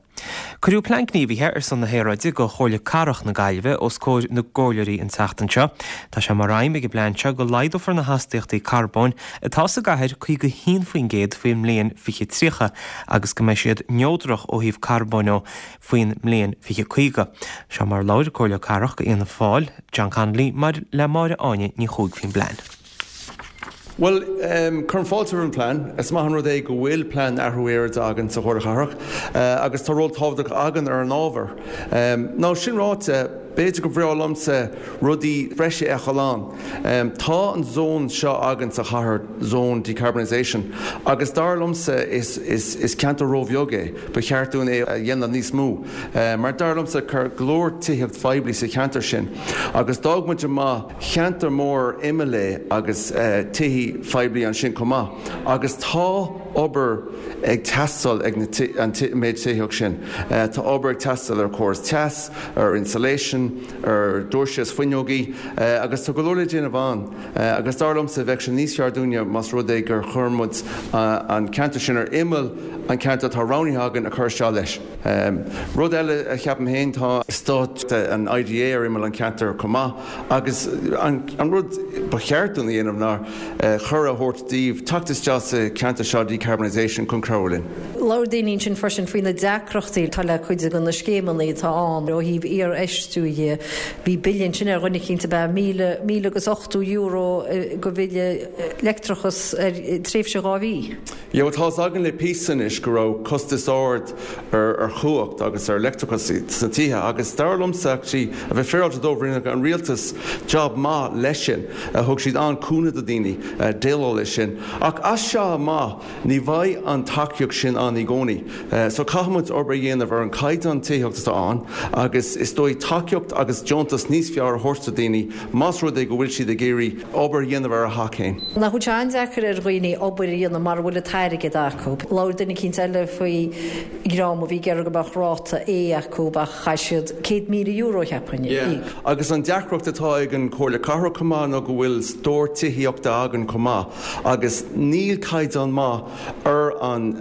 Cuireadh Plean Gníomhaithe ar son na hAeráide do Chomhairle Cathrach na Gaillimhe os comhair na gcomhairleoirí an tseachtain seo. Tá sé mar aidhm ag an bplean seo go laghdófar na hastaíochtaí carbóin atá sa gcathair 51% faoin mbliain 2030 agus go mbeidh siad neodrach ó thaobh carbóin de faoin mbliain 2050. Seo mar a labhair Comhairleoir Cathrach do Fhianna Fáil, John Connolly, le Máire Áine Ní Chuaig faoin bplean. Bhuel, cuirim fáilte roimh an bplean. Is maith an rud é go bhfuil plean athrú aeráide againn sa Chomhairle Chathrach agus tá ról tábhachtach againn ar an ábhar. Now, sin ráite, b'fhéidir gur bhreá liomsa rudaí breise a fheiceáil ann. Tá an zón seo againn sa chathair, zone decarbonisation, agus dar liomsa is ceantar róbheag é. Ba cheart dúinn é a dhéanamh níos mó mar dar liomsa tá go leor tithíocht phoiblí sa cheantar sin agus d'fhág muid amach cheantar mór ar imeall é agus tithí phoiblí ansin chomh maith agus tá obair ag teastáil ag an méid tithíocht sin. Tá obair ag teastáil ar chóras teas, ar insulation, ar doirse is fuinneogaí agus tá go leor le déanamh ann agus dar liomsa bheadh sé níos fearr dúinne más rud é gur chuir muid an ceantar sin ar imeall an ceantar atá roghnaithe againn a chur isteach leis. Rud eile a cheapaim féin tá eastát an IDA ar imeall an cheantair chomh maith agus an rud ba cheart dúinn a dhéanamh ná cuireadh a thabhairt daoibh teacht isteach sa cheantar seo decarbonisation chun cabhrú linn. Labhair daoine ansin freisin faoi na deacrachtaí atá le cuid de na scéimeanna atá ann ó thaobh iarfheistiú dhe. Bhí bille ansin ar dhuine eicínt ab ea €1,080 go bhille leictreachas ar tréimhse 2 mhí. Yeah, bhuel tá's againn le píosa anois go raibh costas ard ar chumhacht agus ar leictreachas sna tithe agus dar liomsa actually a bheith féaráilte dóibh rinne an rialtas job maith leis sin. Thug siad an-cúnamh do daoine déileáil leis sin. Ach as seo amach ní bheidh an tacaíocht sin ann i gcónaí. So caithfidh muid obair a dhéanamh ar an caighdeán tithíochta atá ann agus is dóigh tacaíocht agus deontas níos fearr a thabhairt do daoine más rud é go bhfuil siad ag iarraidh obair a dhéanamh ar a theach féin. Nach bhfuil sé an-deacair ar dhaoine obair a dhéanamh mara bhfuil an t-airgead acu. Labhair duine eicínt eile faoi dhream a bhí ag iarraidh go mbeadh ráta A acu ach chaith siad €100,000 cheapfainn a Yeah. íoc. Agus an deacracht atá ag an Chomhairle Cathrach chomh maith ná go bhfuil stór tithíochta againn chomh maith agus níl caighdeán maith ar an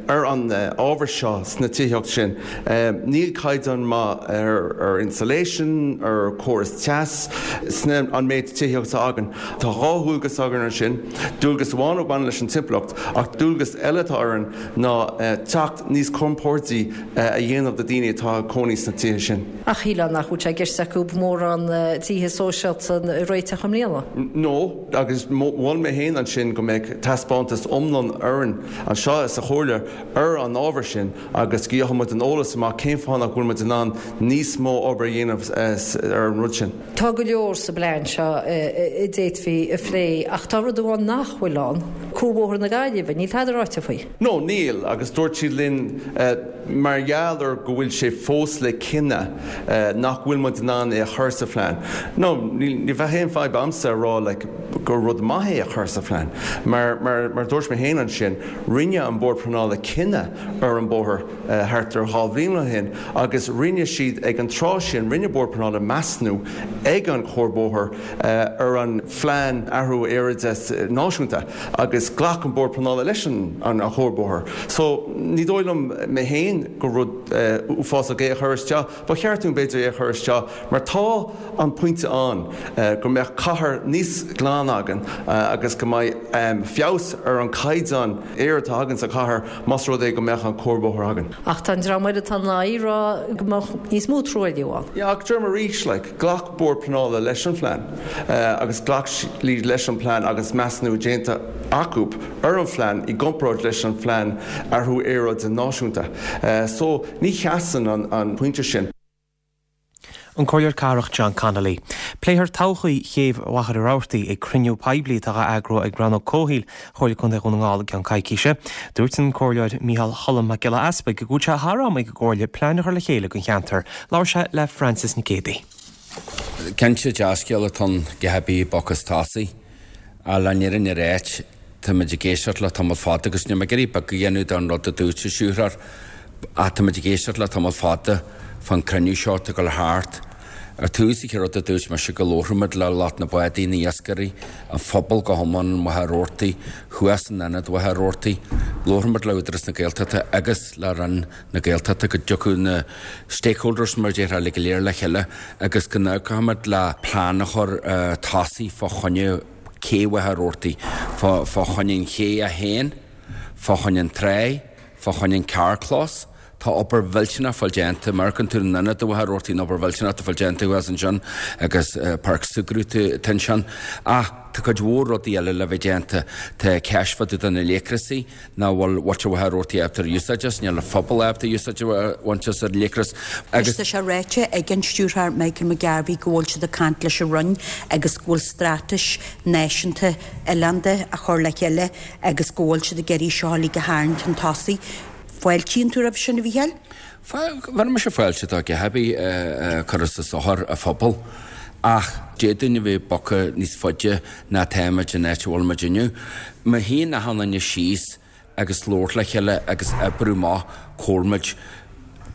ar an ábhar seo sna tithíocht sin. Níl caighdeán maith ar ar insulation, ar córas teas sna an méid tithíocht atá againn. Tá dhá dhualgas againn ansin, dualgas amháin a bhaineann leis an timpeallacht ach dualgas eile atá orainn ná teacht níos compordaí a dhéanamh do daoine atá ag cónaí sna tithe sin. Ach shílfeá nach bhfuil sé i gceist acu mórán tithe sóisialta a réiteach i mbliana. No, agus mhol mé féin ansin go mbeadh taispeántas iomlán orainn anseo sa Chomhairle ar an ábhar sin agus go gheobhadh muid an eolas amach cén fáth nach bhfuil muid in ann níos mó obair a dhéanamh ar an rud sin. Tá go leor sa bplean seo a d'fhéadfaí a phlé ach tá rud amháin nach bhfuil ann, Cuarbhóthar na Gaillimhe, níl tada ráite faoi. No, níl, agus dúirt siad linn mar gheall ar go bhfuil sé fós le cinneadh nach bhfuil muid in ann é a chur sa phlean. No, ní bheadh aon fadhb a'msa a rá like gur rud maith é a chur sa phlean mar mar dúirt mé féin ansin, rinne an Bord Pleanála cinneadh ar an bóthar thart ar dhá bhliain ó shin agus rinne siad ag an tráth sin, rinne Bord Pleanála measnú ag an chuarbhóthar ar an phlean athrú aeráide náisiúnta agus ghlac an Bord Pleanála leis an chuarbhóthar. So ní dóigh liom mé féin gur rud uafásach é a chur isteach. Ba cheart dúinn b'fhéidir é a chur isteach mar tá an pointe ann go mbeadh cathair níos glaine againn agus go mbeidh feabhas ar an caighdeán aeir atá againn sa chathair más rud é go mbeadh an cuarbhóthar againn. Ach tá an dream eile atá in aghaidh ag rá go mbeadh níos mó truailliú ann. Yeah, ach deirim arís, like, ghlac Bord Pleanála leis an phlean agus ghlac siad leis an plean agus measnú déanta acu ar an phlean i gcomparáid leis an phlean athrú aeráide náisiúnta. So, ní sheasann an pointe sin. An Comhairleoir Cathrach John Connolly. Pléifear todhchaí chéibh Mhachaire Rabhartaigh ag cruinniú poiblí atá á eagrú ag Rannóg Comhshaoil Chomhairle Contae Dhún na nGall i gceann coicíse. Dúirt an Comhairleoir Micheál Cholm Mac Giolla Easpaig go bhfuil sé thar am ag an gComhairle plean a chur le chéile don cheantar. Labhair sé le Frances Nic Géadaigh. Cinnte, dea-scéal atá ann go cibé boc is tosaigh. Ach le fírinne a ráit, táimid ag éisteacht le tamall fada agus níl mé ag iarraidh beag a dhéanamh den rud a dúirt an stiúrthóir ach táimid ag éisteacht le tamall fada fán cruinniú seo atá ag dul thart. Ar tús, an chéad rud a dúirt mise go labharfaimid le lucht na bádaí, na iascairí, an phobal go hiomlán in Machaire Rabhartaigh, thuas in ionad Mhachaire Rabhartaigh. Labharfaimid le Údarás na Gaeltachta agus le Roinn na Gaeltachta go dtiocfadh na stakeholders mar a déarfá uilig go léir le chéile agus go n-amharcfaimid le plean a chur tosaigh fá choinne cé Mhachaire Rabhartaigh, fá choinne an ché é féin, fá choinne an tráigh, fá choinne an carrchlós. Tá obair mhillteanach fáil déanta, má amharcann tú in ionad Mhachaire Rabhartaigh an obair mhillteanach atá fáil déanta thuas ansin agus páirc súgartha atá ansin. Ach tá cuid mhór rudaí eile le bheith déanta. Tá ceist fá dtaobh de na léacrasaí. nach bhfuil muintir Mhachaire Rabhartaigh ábalta ar úsáid as, níl an phobal ábalta úsáid a bhaint as ar an léacras agus. Tá sé ráite ag an Stiúrthóir Michael McGarvey go bhfuil siad ag caint leis an Roinn agus go bhfuil straitéis náisiúnta oileánda á chur le chéile agus go bhfuil siad ag iarraidh seo uilig a tharraingt chun tosaigh. Fáiltíonn tú roimh sin, a Mhícheáil? Bheir mise fáilte dá dhath ar bith a chuirfeas a sochar a phobal ach d'fhéadfainn a bheith bogtha níos faide ná táimid in áit a bhfuil muid inniu. Má shuíonn achan duine síos agus labhairt le chéile agus oibriú amach comhair muid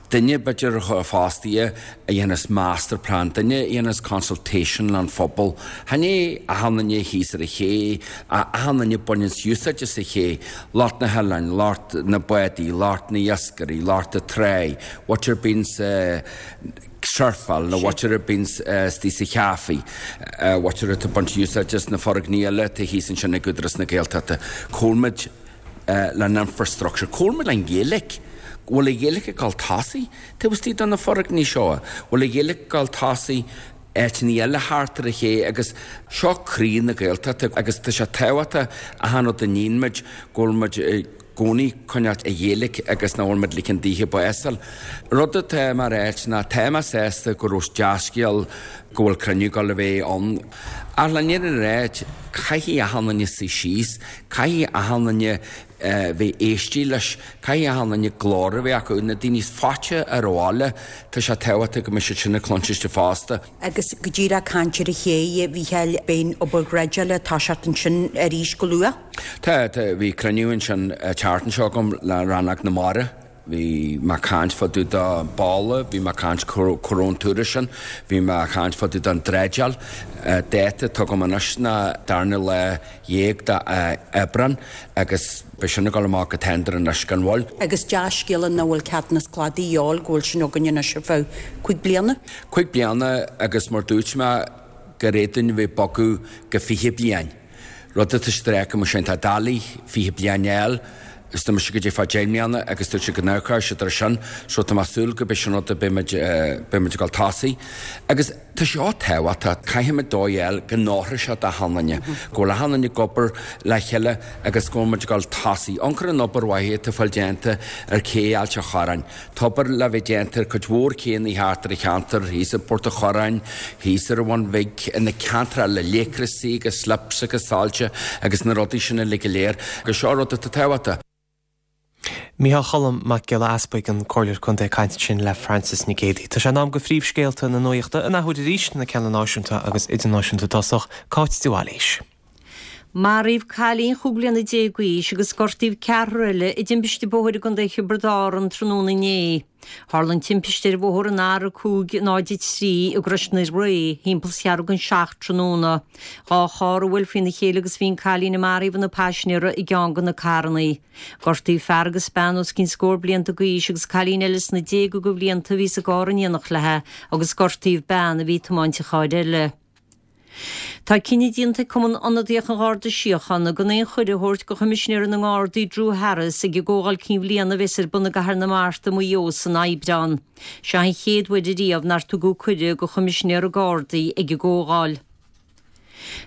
duine b'fhéidir fostaithe a dhéanfas master plan, duine a dhéanfas consultation le an phobal. Chan é achan duine thíos ar an ché, ach achan duine baineanns úsáid as an ché, lucht na hoileáin, lucht na bádaí, lucht na iascairí, lucht na tráigh, muintir bíonns surfáil nó muintir a bíonns istigh sa chaife, muintir atá ag baint úsáid as na foirgnimh eile atá thíos ansin ag Údarás na Gaeltachta. Comhair muid. le an infrastructure, cá bhfuil muid le an Ghaeilge, go bhfuil an Ghaeilge ag dul tosaigh taobh istigh de na foirgnimh seo, bhfuil an Ghaeilge ag dul tosaigh áiteanna eile thart ar an ché agus seo croí na Gaeltachta agus tá sé tábhachtach achan rud a níonn muid go bhfuil muid i gcónaí coinneáilt an Ghaeilge agus nach bhfuil muid ligean daoithe bás a fháil. Rud atá mé a ráit ná tá mé sásta go raibh dea-scéal go bhfuil cruinniú ag dul a bheith ann ach le fírinne a ráit caithfidh achan duine suí síos, caithfidh achan duine bheith éistí leis, caithfidh achan duine glór a bheith acu, na daoine is faighte ar an bhaile, tá sé tábhachtach go mbeidh siad sin ag cluinstin fosta. Agus go díreach ag caint ar an ché, a Mhícheáil, beidh an obair dhreideála ag toiseacht ansin arís go luath? Tá, tá, bhí cruinniú ansin an tseachtain seo agam le Rannóg na Mara, bhí mé ag caint fá dtaobh de balla, bhí mé ag caint cá raibh an turas sin, bhí mé ag caint fá dtaobh den dreideáil, dáta atá agam anois ná darna lá dhéag de Aibreán agus beidh sin ag dul amach go tender anois gan mhoill. Agus dea-scéala nach bhfuil ceadúnas cladaigh a dhíobháil, go bhfuil sin againn anois ar feadh cuig bliana. Cuig bliana agus mar dúirt mé gur fhéadfainn a bheith ag bogadh go 20 bliain. Rud atá stráice mar sin tá doiligh 20 bliain a fháil is tá mise go dtí fá 10 mbliana agus dúirt siad go n-amharcfadh siad ar sin so tá mé ag súil go beidh sin rud a beidh muid beidh muid ag dul tosaigh agus Tá seo tábhachtach. Caithfimid dóigh a fháil go n-oirfidh sé d'achan duine, go bhfuil achan duine ag obair le chéile agus go bhfuil muid ag dul tosaigh. Amharc ar an obair mhaith atá fáil déanta ar cé Ailt an Chorráin. Tá obair le bheith déanta ar cuid mhór céanna thart ar an cheantar, thíos i bPort an Chorráin, thíos ar an Bhun Bhig, ina ceantar eile, léacrasaí agus slips agus soilse agus na rudaí sin uilig go léir. Agus seo rud atá tábhachtach. Micheál Cholm Mac Giolla Easpaig, an Comhairleoir Contae ag caint ansin le Frances Nic Géadaigh. Tá sé in am do phríomhscéalta na nuachta an athuair arís, na ceanna náisiúnta agus idirnáisiúnta i dtosach, Cáit de Bhailís. Maraíodh cailín chúig bliana déag d'aois agus gortaíodh ceathrar eile i dtimpiste bóthair i gContae Thiobraid Árann tráthnóna inné. Tharla an timpiste ar bhóthar an R503 i gCrois na Ré thimpeall is ceathrú don seacht tráthnóna. Dá charr a bhuail faoina chéile agus bhí an cailín a maraíodh ina paisinéara i gceann de na carrannaí. Gortaíodh fear agus bean os cionn scór blianta d'aois agus cailín eile sna déaga de bhlianta a bhí sa gcarr in éineacht léi agus gortaíodh bean a bhí ag tiomáint an chairr eile. Tá cinneadh déanta ag Cumann Ionadaíoch an Gharda Síochána gan aon chuireadh a thabhairt do Choimisinéir na nGardaí Drew Harris ag an gComhdháil Cinn Bhliana a bheas ar bun i gCathair na Mart i Maigh Eo san Aibreán. Seo an chéad uair ariamh nár tugadh cuireadh do Choimisinéir na Gardaí ag an gcomhdháil.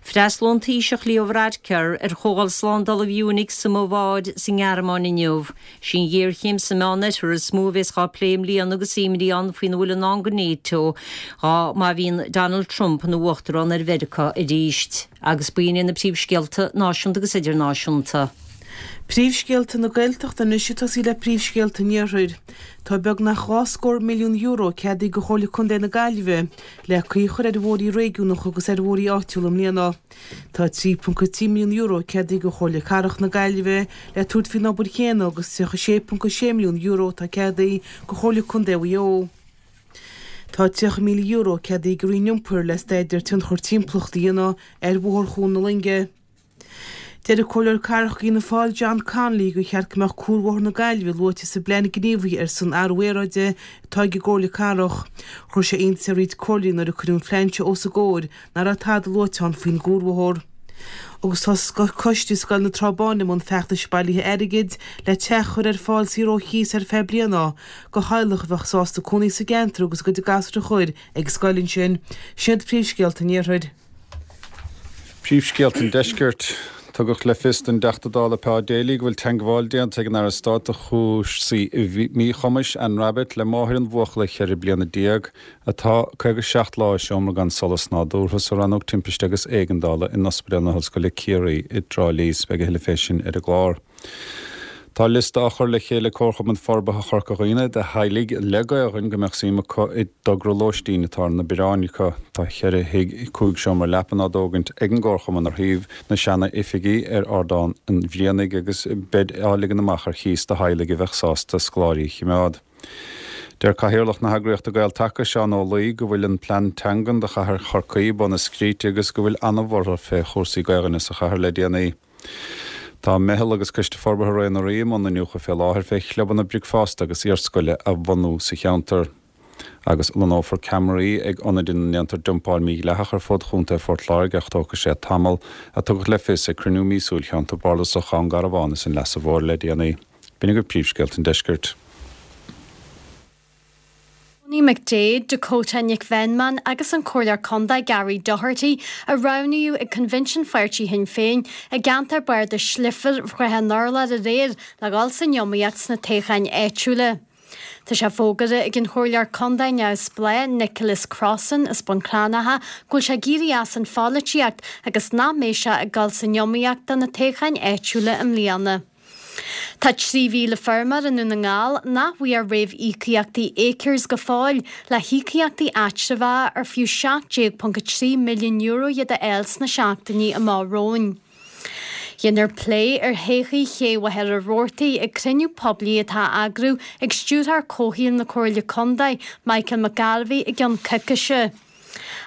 Freastalóidh an Taoiseach Leo Varadkar ar Chomhdháil Slándála Mhünich sa mBaváir sa nGearmáin inniu. Sí an ghéarchéim sa Meánoirthear is mó a bheas dhá plé i mbliana agus imní ann faoina bhfuil i ndán do NATO dhá má bhíonn Donald Trump ina uachtarán ar Mheiriceá arís. Agus b'in iad na príomhscéalta náisiúnta agus idirnáisiúnta. Príomhscéalta na Gaeltachta anois ag tosaí le príomhscéalta an Iarthair. Tá beagnach €20 milliún ceadaithe do Chomhairle Contae na Gaillimhe le caoi a chur ar bhóithrí réigiúnacha agus ar bhóithrí áitiúla i mbliana. Tá €3.3 milliún ceadaithe do Chomhairle Cathrach na Gaillimhe le tabhairt faoin obair chéanna agus €36.6 milliún atá ceadaithe do Chomhairle Contae Mhaigh Eo. Tá €30,000 ceadaithe ag an Roinn Iompair le staidéar tionchar timpeallachta a dhéanamh ar Bhóthar Chuan na Loinge. Deir an Comhairleoir Cathrach d'Fhianna Fáil John Connolly gur cheart go mbeadh Cuarbhóthar na Gaillimhe luaite sa bplean gníomhaithe ar son athrú aeráide atá ag an gComhairle Cathrach. Chuir sé iontas ar roinnt comhairleoirí nuair a cuireadh an phlean seo os a gcomhair nach raibh tada luaite ann faoin gcuarbhóthar. Agus tá coiste Scoil na Trá Báine i mbun feachtais bailithe airgid le teach a chur ar fáil saor ó chíos ar feadh bliana do theaghlach a bheadh sásta cónaí sa gceantar agus a gcuid gasúr a chur ag an scoil ansin. Sin iad príomhscéalta an Iarthair. Príomhscéalta an Deiscirt. Tugadh le fios don dTeachta Dála Pa Daly go bhfuil teangmháil déanta ag an Aire Stáit do chúrsaí Míchumais, Anne Rabbitte, le máthair an bhuachalla 14 bliana atá 57 lá i seomra gan solas nádúrtha sa Rannóg Timpiste agus Éigeandála in Ospidéal na hOllscoile Ciarraí i dTrá Lí. Beidh a thuilleadh fé sin ar an gclár. Tá liosta á chur le chéile ag Comharchumann Forbartha Chorca Dhuibhne de theaghlaigh le Gaoluinn go mbeadh suim acu i dtogra lóistín atá ar na bioráin acu. Tá cheithre thigh cúig seomra leapan á dtógaint ag an gComharchumann ar thaobh na seana oifigí ar Ardán an Bhrianaigh agus beid á ligean amach ar chíos do theaghlaigh a bheadh sásta scoláirí a chimeád. Deir Cathaoirleach na heagraíochta Gael-Taca, Seán Ó Laoi, go bhfuil an plean teangan do chathair Chorcaí bun na scríte agus go bhfuil an-bhorrtha fé chúrsaí Gaoluinne sa chathair le déanaí. Tá Meitheal agus Coiste Forbartha Rae na Rí i mbun iniúchadh fé láthair fé chlubanna bricfeasta agus iarscoile a bhunú sa cheantar. Agus lonnófar ceamaraí ag ionaid ina ndéantar dumpáil mhídhleathach ar fud Chontae Phort Láirge ach tógfaidh sé tamall, a tugadh le fios ag cruinniú míosúil Cheantar Bardasach Dhún Garbhán is an Leasa Mhóir le déanaí. B'in agaibh príomhscéalta an deiscirt. Tony McDaid, Dakota Nic Mheanman agus an Comhairleoir Contae Gary Doherty a roghnaíodh ag Coinbhinsiún Pháirtí Shinn Féin i gceantar bardais Leifear, Shraith an Urláir aréir le dhul san iomaíocht sna toghcháin áitiúla. Tá sé fógartha ag an Chomhairleoir Contae neamhspleách Nicholas Crossan as Bun Cranncha go bhfuil sé ag éirí as an pholaitíocht agus nach mbeidh sé ag dul san iomaíocht do na toghcháin áitiúla i mbliana. Tá 3,000 feirmeoir i nDún na nGall nach bhfuair réamhíocaíochtaí Acres go fóill le híocaíochtaí eatramhacha ar fiú €17.3 milliún iad a fháil sna seachtainí amach romhainn. Déanfar plé ar thodhchaí Ché Mhachaire Rabhartaigh ag cruinniú poiblí atá á eagrú ag Stiúrthóir Comhshaoil na Comhairle Contae, Michael McGarvey i gceann coicíse.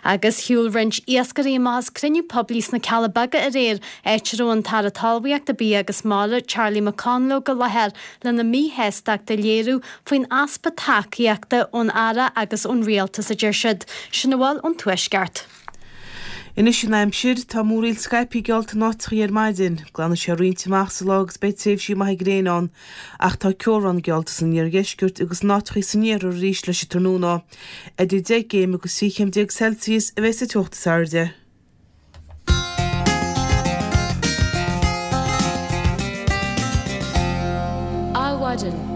Agus shiúil roinnt iascairí amach as cruinniú poiblí sna Cealla Beaga aréir, áit a raibh an tAire Talmhaíochta, Bia agus Mara, Charlie McConalogue i láthair lena míshástacht a léiriú faoin easpa tacaíochta ón Aire agus ón Rialtas, a deir siad. Sin a bhfuil ón Tuaisceart. Anois an aimsir, tá múraíl scaipthe geallta in áiteachaí ar maidin. Glanfaidh sé roinnt amach sa lá agus beidh tréimhsí maithe gréine ann. Ach tá ceobhrán geallta san iardheisceart agus in áiteachaí san iarthar arís leis an tráthnóna. Idir 10 gcéim agus 13 chéim Celsius a bheidh sa teocht is airde. Adhmhaidin.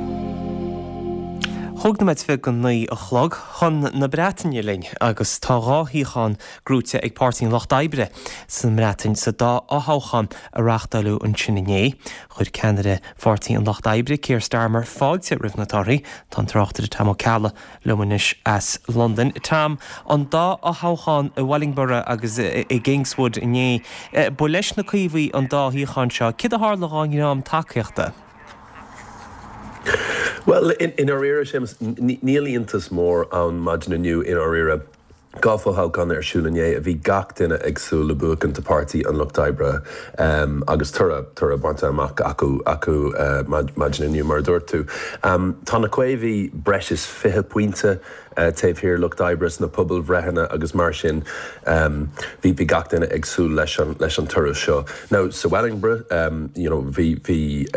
Chúig nóiméad go 9 a chlog chun na Breataine linn agus tá dhá shuíochán gnóite ag Páirtí an Lucht Oibre sa mBreatain sa dá fhothoghchán a reáchtáileadh ansin inné. Chuir ceannaire Pháirtí an Lucht Oibre, Keir Starmer, fáilte roimh na torthaí. Tá an tráchtaire Tom Ó Ceallaigh liom anois as Londain. Tom, an dá fhothoghchán i Wellingborough agus i Kingswood inné, ba leis na Caomhaigh an dá shuíochán seo. Céard a tharla dhá ndream tacaíochta? Bhuel, i ndáiríre, Séamus, níl iontas mór ann maidin inniu, i ndáiríre. 2 fhothoghchán ar siúl inné a bhí gach duine ag súil le buachaint do Páirtí an Lucht Oibre agus toradh, toradh bainte amach acu acu maidin inniu, mar a dúirt tú. Tá na Caomhaigh breis is 20 pointe taobh thiar Lucht Oibre sna pobalbhreitheanna agus mar sin bhí bhí gach duine ag súil leis an leis an toradh seo. Now sa Wellingborough you know bhí bhí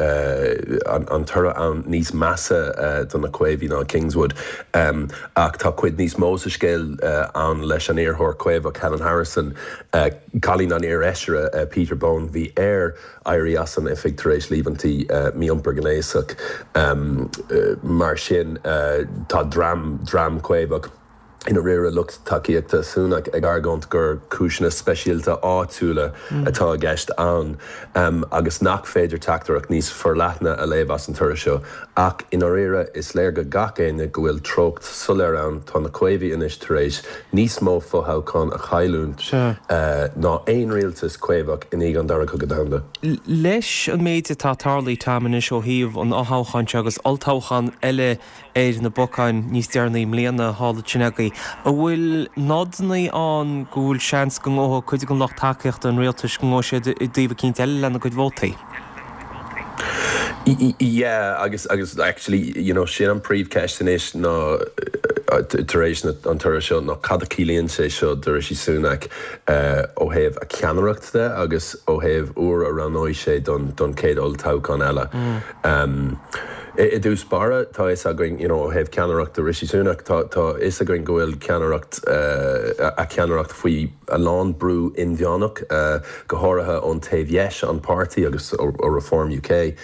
an an toradh ann níos measa do na Caomhaigh ná Kingswood. Ach tá cuid níos mó sa scéal ann leis an iarrthóir Caomhach Helen Harrison, cailín an iarfheisire Peter Bone. Bhí air éirí as an oifig tar éis líomhaintí mí-iompar gnéasach. Mar sin tá dream, dream Caomhach, i ndáiríre lucht tacaíochta Sunak, ag argóint gur cúiseanna speisialta áitiúla atá i gceist ann agus nach féidir teachtaireacht níos forleithne a léamh as an toradh seo. Ach i ndáiríre, is léir go gach éinne go bhfuil treocht soiléir ann, tá na Caomhaigh anois tar éis níos mó fothoghchán a chailliúint ná aon rialtas Caomhach i ndiaidh an Dara Cogadh Domhanda. Leis an méid atá tarlaithe, Tom, anois ó thaobh an fhothoghcháin seo agus olltoghchán eile ar na bacáin níos deireanaí i mbliana thall ansin agaibh, an bhfuil nodanna ann go bhfuil seans go ngabhfaidh cuid den lucht tacaíochta an rialtais, go ngabhfaidh siad i dtaobh eicínt eile lena gcuid vótaí? Yeah agus agus actually you know sin an príomhcheist anois ná tar éis na an toradh seo ná cad a chiallaíonn sé seo do Rishi Sunak ó thaobh a cheannaireacht de agus ó thaobh uair a roghnóidh sé don don chéad olltoghchán eile. I dtús báire tá fhios againn you know ó thaobh ceannaireachta Rishi Sunak tá tá fhios againn go bhfuil ceannaireacht a cheannaireacht faoi a lán brú inmheánach, go háirithe ón taobh dheis an páirtí agus ó Reform UK.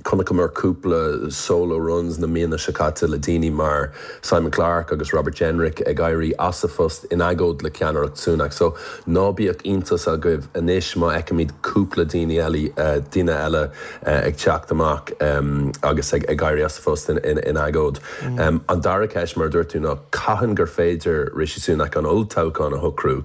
Chonaiceamar cúpla solo runs na míonna seo caite le daoine mar Simon Clarke agus Robert Jenrick ag éirí as a phost in agóid le ceannaireacht Sunak. So ná bíodh iontas agaibh anois má fheicimid cúpla daoine eile, duine eile ag teacht amach agus ag éirí as a phost in agóid. An dara ceist, mar a dúirt tú, ná cathain gur féidir Rishi Sunak an olltoghchán a shocrú?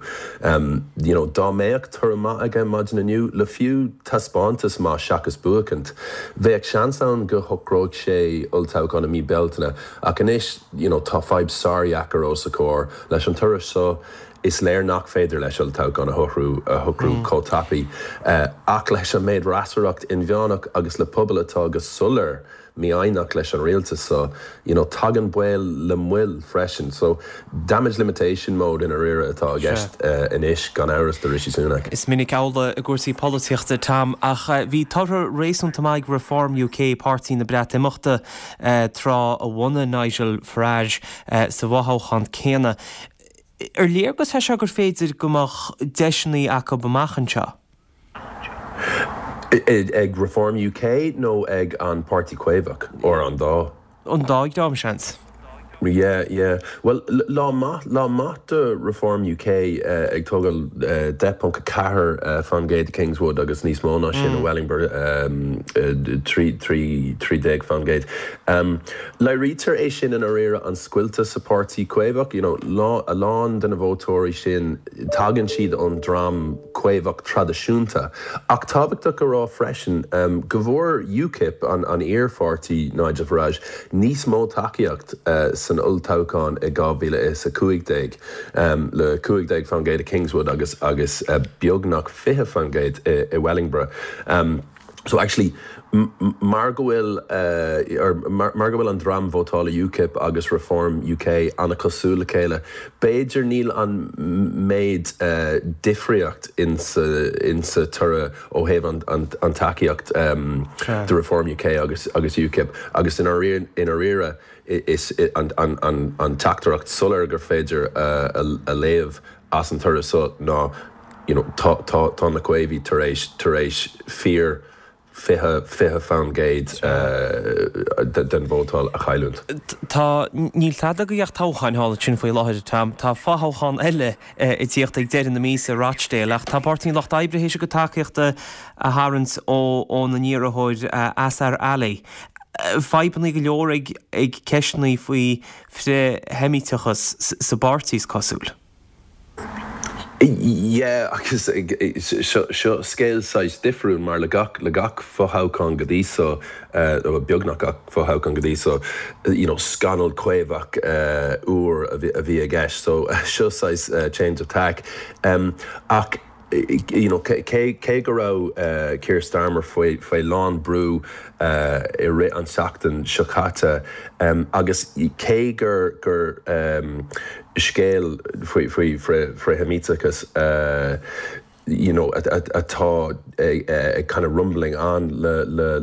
You know, dá mbeadh toradh maith aige maidin inniu, le fiú taispeántas maith seachas buachaint, bheadh seans ann go shocródh sé olltoghchán i mí Bealtaine. Ach anois, you know, tá fadhb sárdheacair os a chomhair. Leis an toradh seo, is léir nach féidir leis olltoghchán a shocrú a shocrú chomh tapaidh. Ach leis an méid fhreasúracht inmheánach agus le pobal atá go soiléir. mífhoighneach leis an rialtas so, you know, tagann baol le moill freisin. So, damage limitation mode i ndáiríre atá i gceist anois, gan amhras, do Rishi Sunak. Is minic amhlaidh i gcúrsaí polaitíochta, Tom, ach bhí tortha réasúnta maith ag Reform UK, páirtí na Breatimeachta, tráth a bhunaigh Nigel Farage, sa bhfothoghchán céanna. Ar léargas é seo gur féidir go mbeadh deiseanna acu amach anseo? Ag Reform UK nó ag an Páirtí Caomhach, or an dá? An dá dhream, seans. Yeah, yeah. Bhuel, lá maith, lá maith do Reform UK ag tógáil 10.4 fán gcéad i Kingswood agus níos mó ná sin i Wellingborough, 13 fán gcéad. Léirítear é sin i ndáiríre an scoilteadh sa Páirtí Caomhach, you know, a lán de na vótóirí sin, tagann siad ón dream Caomhach traidisiúnta. Ach tábhachtach a rá freisin go bhfuair UKIP, an iar-pháirtí Nigel Farage, níos mó tacaíocht san olltoghchán i 2015, le 15% i Kingswood agus agus beagnach 20% i Wellingborough. So actually, mar go bhfuil, or mar go bhfuil an dream vótála UKIP agus Reform UK an-cosúil le chéile, b'fhéidir níl an méid difríocht insa toradh ó thaobh an tacaíocht do Reform UK agus UKIP agus i ndáiríre is an teachtaireacht soiléir gur féidir a léamh as an toradh so ná you know tá tá tá na Caomhaigh tar éis tar éis fíor 20 20% den vótáil a chailliúint. Tá, níl tada go gach toghcháin thall ansin faoi láthair, Tom. Tá fothoghchán eile ag tíocht ag deireadh na míosa i Rochdale ach tá Páirtí an Lucht Oibre théis a gcuid tacaíochta a tharraingt ó óna n-iarrthóir Azhar Ali. Fadhbanna go leor ag ag ceisteanna faoi frith-Sheimíteachas sa bpáirtí is cosúil. Yeah agus seo seo scéal saghas difriúil mar le gach le gach fothoghchán go dtí so, nó beagnach gach fothoghchán go dtí so, you know scannal caomhach úr a bhí a bhí i gceist so seo saghas change of tack. Ach you know cé cé go raibh Keir Starmer faoi faoi lán brú i rith an tseachtain seo caite agus cé gur gur scéal faoi faoi frith-Sheimíteachas you know atá ag kind of rumbling on le le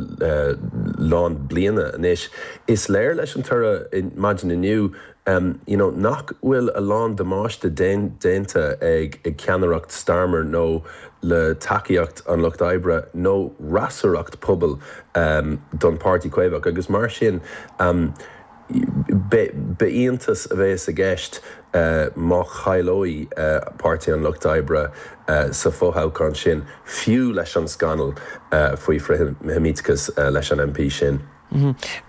lán bliana anois, is léir leis an toradh maidin inniu you know nach bhfuil a lán damáiste déanta ag ag ceannaireacht Starmer nó le tacaíocht an Lucht Oibre nó fhreasúracht pobail don Páirtí Caomhach agus mar sin B'iontas a bheas i gceist má chailleoidh Páirtí an Lucht Oibre sa fhothoghchán sin, fiú leis an scannal faoi frith-Sheimíteachas leis an MP sin.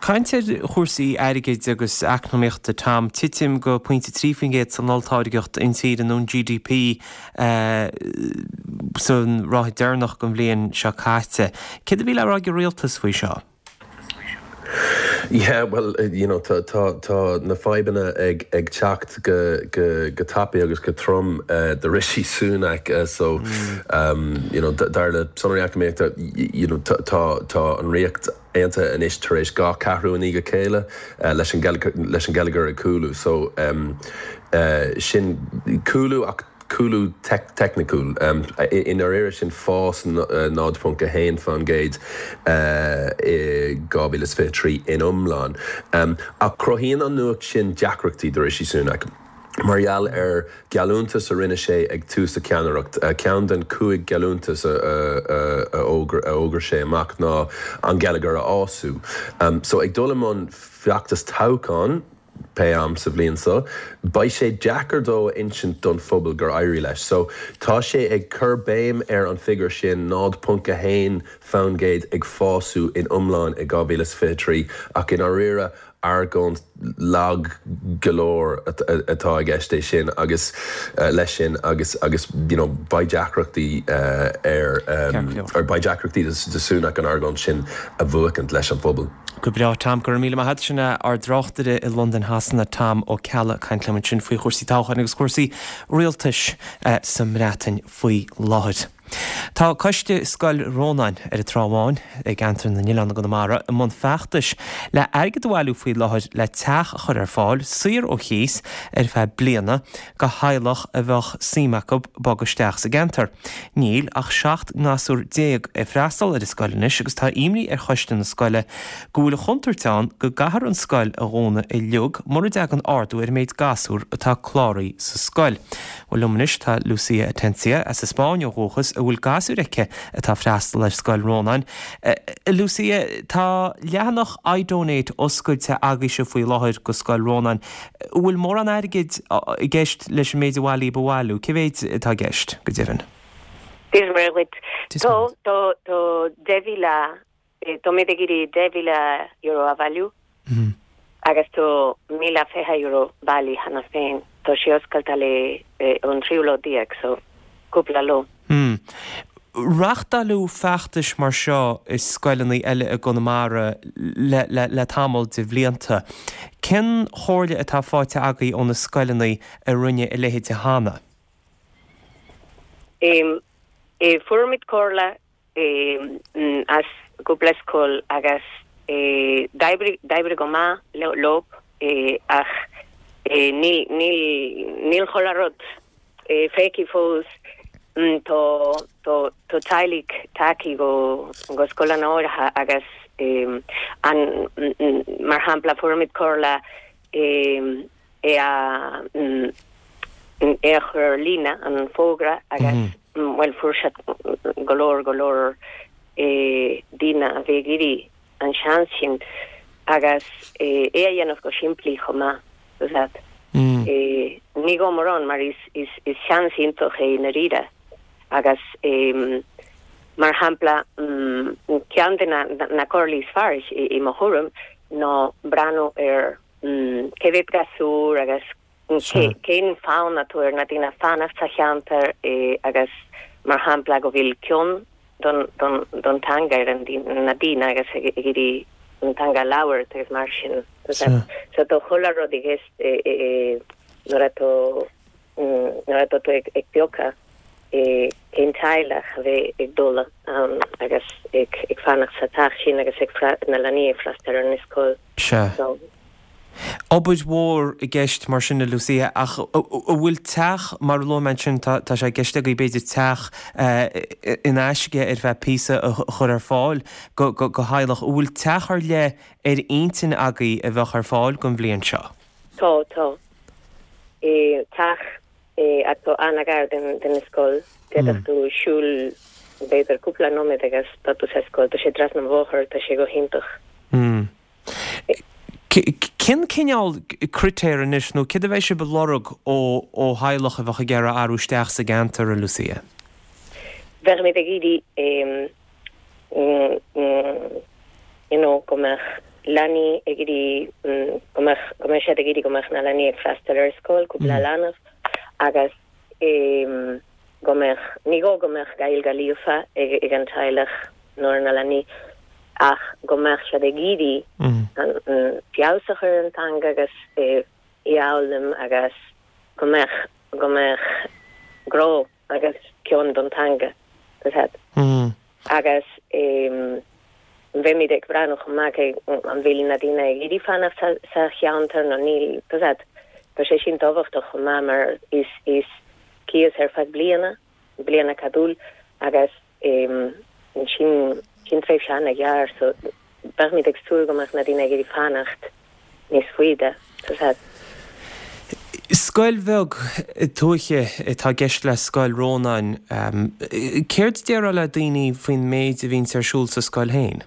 Caint ar chúrsaí airgid agus eacnamaíochta, Tom. Titim go pointe 3% san olltáirgeacht intíre nó an GDP san ráithe deireanach den bhliain seo caite. Céard a bhí le rá ag an rialtas faoi seo? Yeah, well, you know, tá, tá, tá na fadhbanna ag, ag teacht go, go, go tapaidh agus go trom do Rishi Sunak so, you know, dar le sonraí eacnamaíochta, you know, tá, tá an Ríocht Aontaithe anois tar éis 2 ceathrú i ndiaidh a chéile leis an, leis an geilleagar ag cúlú. So, sin cúlú ach cúlú teicniciúil. I ndáiríre sin fás 0.1% i 2023 in iomlán. Ach cruthaíonn an nuacht sin deacrachtaí do Rishi Sunak mar gheall ar gheallúntas a rinne sé ag tús a cheannaireacht. Ceann den chúig gheallúntas a fhógair sé amach ná an geilleagar a fhású. So ag dul i mbun feachtas toghcháin, pé am sa bhliain seo, beidh sé deacair dó a insint don phobal gur éirigh leis. So, tá sé ag cur béim ar an figiúr sin, 0.1% ag fású in iomlán i 2023, ach i ndáiríre, argóint lag go leor atá i gceist é sin agus leis sin agus agus you know beidh deacrachtaí ar ar beidh deacrachtaí do Sunak an argóint sin a bhuachaint leis an phobal. Go breá, Tom. Go raibh míle maith agat. Sin é ár dtráchtaire i Londain Shasana, Tom Ó Ceallaigh, ag caint liom ansin faoi chúrsaí toghcháin agus cúrsaí rialtais sa mBreatain faoi láthair. Tá coiste Scoil Rónáin ar an Trá Bháin i gCeantar na nOileán i gConamara i mbun feachtais le airgead a bhailiú faoi láthair le teach a chur ar fáil, saor ó chíos, ar feadh bliana, do theaghlach a bheadh suim acu bogadh isteach sa gceantar. Níl ach 17 ngasúr ag freastal ar an scoil anois agus tá imní ar choiste na scoile go bhfuil an chontúirt ann go gcaithfear an scoil a dhúnadh uilig mura dtagann ardú ar an méid gasúr atá cláraithe sa scoil. Bhuel liom anois tá Lucia Atencia, as an Spáinn ó dhúchas, a bhfuil gasúir aici atá ag freastal ar Scoil Rónáin. A Lucia, tá leathanach iDonate oscailte agaibhse faoi láthair go Scoil Rónáin. An bhfuil mórán airgid i gceist leis an méid a bhailíodh a bhailiú? Cé mhéid atá i gceist, go deimhin? Dia is Muire dhuit. Tá, tá, tá 10,000 Táimid ag iarraidh €10,000 a bhailiú agus tá €1,020 bailithe cheana féin. Tá sé oscailte le ón tríú lá déag, so cúpla lá. Reáchtáileadh feachtais mar seo i scoileanna eile i gConamara le tamall de bhlianta. Cén chomhairle atá faighte agaibh ó na scoileanna a rinne a leithéid cheana? Fuair muid comhairle as cúpla scoil agus d'oibrigh go maith leo ach níl níl chuile rud feicthe fós. Tá tá teaghlaigh tagtha go go scoileanna áirithe agus an mar shampla fuair muid comhairle é a é a chur ar líne, an fógra, agus bhuel fuair siad go leor, go leor daoine a bhí ag iarraidh an seans sin agus é a dhéanamh go simplí chomh maith, tá a fhios agat. Ní gá mórán mar is is is seans iontach é i ndáiríre agus mar shampla ceann de na na comhairlí is fearr i mo thuairim ná breathnú ar cé mhéad gasúr agus cén fonn atá ar na daoine fanacht sa cheantar agus mar shampla go bhfuil cion don teanga ar na daoine agus ag iarraidh an teanga a labhairt agus mar sin. So tá chuile rud i gceist nuair atá nuair atá tú ag piocadh cén teaghlach a bheidh ag dul ann agus ag fanacht sa teach sin agus ag na leanaí ag freastal ar an scoil. Sea. Obair mhór i gceist mar sin, a Lucia, ach an bhfuil teach, mar a luaigh mé ansin, tá sé i gceist agaibh b'fhéidir teach in aisce ar feadh píosa a chur ar fáil go theaghlach, an bhfuil teach ar leith ar intinn agaibh a bheadh ar fáil don bhliain seo? Tá, tá. Teach atá an-ghar den scoil, d'fhéadfadh tú siúl b'fhéidir cúpla nóiméad agus tá tú sa scoil, tá sé trasna an bhóthair, tá sé go hiontach. Cén cineál critéar anois, nó céard a bheidh sibh ag lorg ó theaghlach a bheadh ag iarraidh athrú isteach sa gceantar, a Lucia? Bheadh muid ag iarraidh you know go mbeadh leanaí ag iarraidh go mbeadh, go mbeadh siad ag iarraidh go mbeadh na leanaí ag freastal ar scoil, cúpla leanbh agus go mbeadh, ní gá go mbeadh Gaeilge líofa ag an teaghlach nó ar na leanaí ach go mbeadh siad ag iarraidh an feabhas a chur ar an teanga agus í a fhoghlaim agus go mbeadh, go mbeadh grá agus cion don teanga, tá a fhios agat. Agus beimid ag breathnú chomh maith cé an bhfuil na daoine ag iarraidh fanacht sa cheantar nó níl, tá a fhios agat. Tá sé sin tábhachtach chomh maith mar is, is cíos ar feadh bliana, bliain acadúil agus sin, sin tréimhse an-ghearr so beimid ag súil go mbeadh na daoine ag iarraidh fanacht níos faide, tá a fhios agat. Scoil bheag tuaithe atá i gceist le Scoil Rónáin. Céard a déarfá le daoine faoin méid a bhíonns ar siúl sa scoil féin?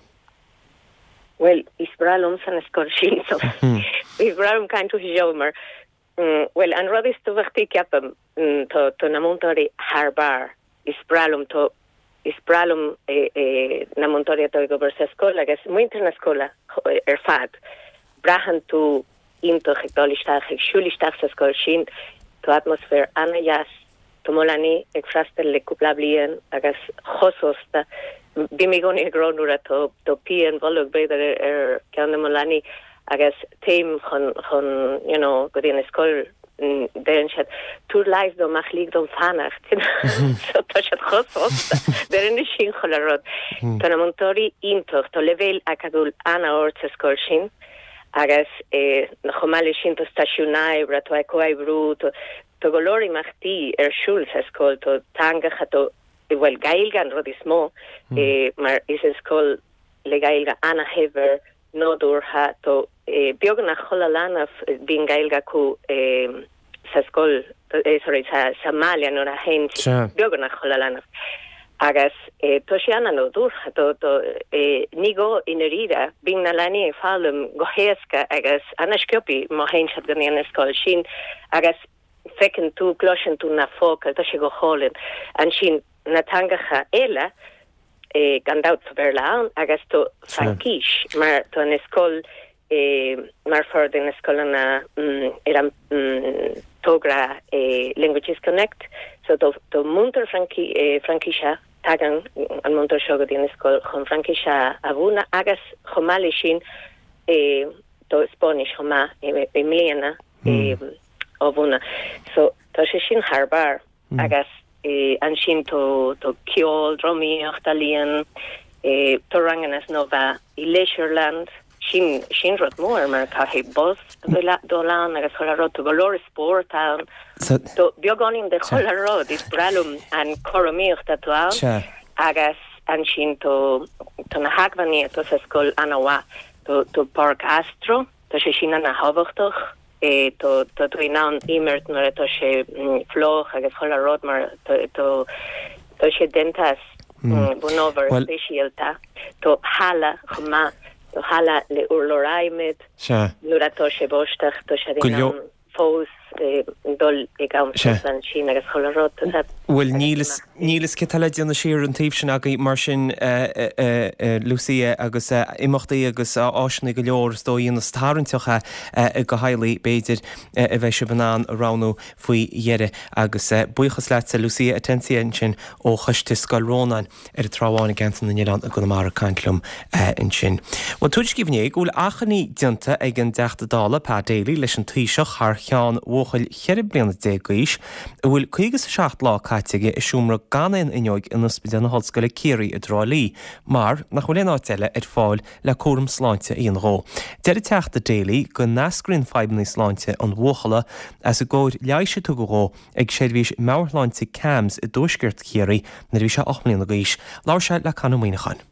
Bhuel, is breá liomsa an scoil sin so is breá liom caint faoi seo mar Bhuel, an rud is tábhachtaí, ceapaim, tá, tá na múinteoirí thar barr. Is breá liom, tá, is breá liom na múinteoirí atá ag obair sa scoil agus muintir na scoile ar fad. Braitheann tú iontach ag dul isteach, ag siúl isteach sa scoil sin. Tá atmaisféar an-deas. Tá mo leanaí ag freastal le cúpla bliain agus chomh sásta. Bím i gcónaí ag rá nuair atá pian bholg b'fhéidir ar ceann de mo leanaí. agus téim chun chun you know go dtí an scoil deireann siad tabhair leigheas dom ach lig dom fanacht you know so tá siad chomh sásta deireann sin chuile rud. Tá na múinteoirí iontach tá leibhéal acadúil an-ard sa scoil sin agus chomh maith leis sin tá stáisiún oibre tá comhoibriú tá tá go leor imeachtaí ar siúl sa scoil tá teangacha tá bhuel Gaeilge an rud is mó mar is an scoil le Gaeilge ana-shaibhir nádúrtha tá beagnach chuile leanbh bíonn Gaeilge acu sa scoil sorry sa sa mbaile nuair a théann beagnach chuile leanbh agus tá sé ana-nádúrtha tá tá ní gá i ndáiríre bíonn na leanaí ag foghlaim go héasca agus ana-sciobtha má théann siad go dtí an scoil sin agus feiceann tú, cloiseann tú na focail, tá sé go hálainn. Ansin na teangacha eile, gan dabht tá Béarla ann agus tá Fraincis mar tá an scoil mar pháirt de na scoileanna ar an togra Languages Connect so tá múinteoir Fraincise, tagann an múinteoir seo go dtí an scoil chun Fraincis a mhúineadh agus chomh maith leis sin tá Spáinnis chomh maith i mbliana. á mhúineadh. So tá sé sin thar barr agus ansin tá ceol, drámaíocht, ealaíon, tá ranganna snámha i Leisureland, sin sin rud mór mar caithfidh bus a bheith dul ann agus chuile rud, tá go leor spórt ann, tá beagáinín de chuile rud, is breá liom an cothromaíocht atá ann agus ansin tá tá na hacmhainní atá sa scoil ana-mhaith, tá páirc astro, Tá sé sin ana thábhachtach. Tá tú in ann imirt nuair atá sé fliuch agus chuile rud mar tá sé déanta as bunábhar speisialta. Tá halla chomh maith, tá halla le urlár adhmaid. Nuair atá sé báisteach tá siad in ann fós dul ag am sosa ansin agus chuile rud. Tá Bhuel, níl fhios, níl fhios cé tá le déanamh siar an taobh sin agaibh mar sin, Lucia, agus imeachtaí agus áiseanna go leor is dóigh a dhéanas tarraingteach do theaghlaigh, b'fhéidir, a bheidh sibh in ann a roghnú faoi dheireadh. Agus buíochas leatsa, Lucia Atencia ansin ó Choiste Scoil Rónáin. ar an Trá Bháin i gCeantar na nOileán i gConamara ag caint liom ansin. Bhuel, tuairiscíodh inné go bhfuil achainí déanta ag an dTeachta Dála, Pa Daly, leis an Taoiseach thar cheann bhuachaill 14 bliana d'aois a bhfuil 57 lá caite aige i seomra gan aon fhuinneoig in Ospidéal na hOllscoile Ciarraí i dTrá Lí mar nach bhfuil aon áit eile ar fáil le cúram sláinte a dhéanamh dhó. Deir an Teachta Daly go n-eascraíonn fadhbanna sláinte an bhuachalla as an gcóir leighis a tugadh dhó ag seirbhís meabhairshláinte CAMHS i dtuaisceart Chiarraí nuair a bhí sé 8 mbliana d'aois. Labhair sé le Conn Ó Muíneacháin.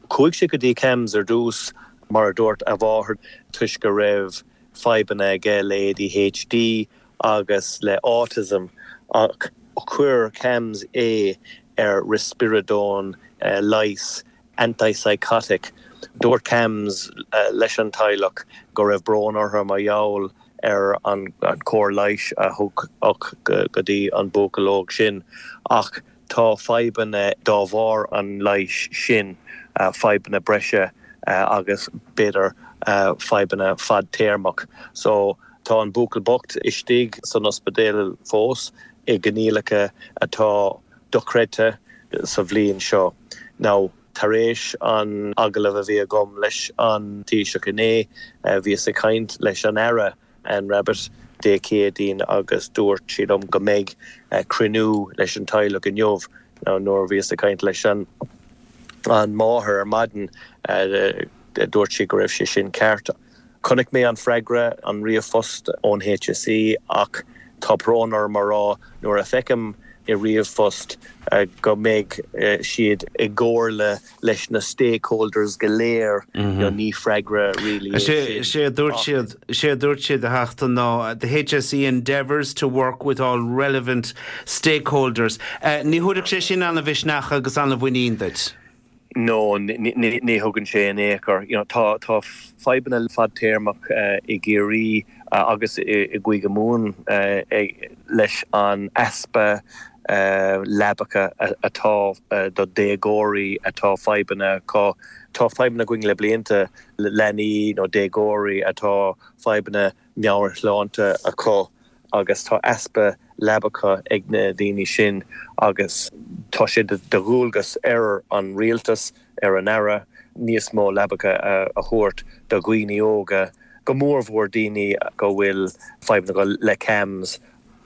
Chuaigh sé go dtí CAMHS ar dtús, mar a dúirt a mháthair, toisc go raibh fadhbanna aige le ADHD agus le autism ach chuir CAMHS é ar risperidone leigheas antipsychotic. Dúirt CAMHS leis an teaghlach go raibh brón orthu mar gheall ar an chóir leighis a tugadh go dtí an buachaill óg sin ach tá fadhbanna dá bharr an leighis sin, fadhbanna breise agus b'fhéidir fadhbanna fadtéarmach. So tá an buachaill bocht istigh san ospidéal fós i gcoinníollacha atá dochreidte sa bhliain seo. Now. Tar éis an agallaimh a bhí agam leis an Taoiseach inné, bhíos ag caint leis an Aire Anne Rabbitte Dé Céadaoin agus dúirt sí liom go mbeidh cruinniú leis an teaghlach inniu. Now nuair a bhíos ag caint leis an máthair ar maidin, dúirt sí go raibh sé sin ceart. Chonaic mé an freagra, an ríomhphost ón HSE ach tá brón orm a rá nuair a feicim i ríomhphost go mbeidh siad i gcomhairle leis na stakeholders go léir, ní freagra really é sin. Is é a dúirt siad, is é a dúirt siad a Theachta ná the HSE endeavours to work with all relevant stakeholders. Ní thabharfadh sé sin an-mhisneach agus an-mhuinín duit? No, ní thugann sé in aon chor. You know, tá tá fadhbanna fadtéarmach i gCiarraí agus i gCúige Mumhan leis an easpa leabacha atá do déagóirí atá fadhbanna acu. Tá fadhbanna againn le blianta le leanaí nó déagóirí atá fadhbanna meabhairshláinte acu agus tá easpa leabacha ag na daoine sin agus tá sé de dhualgas ar an rialtas, ar an Aire. níos mó leabacha a thabhairt do dhaoine óga, go mórmhór daoine go bhfuil fadhbanna acu le CAMHS.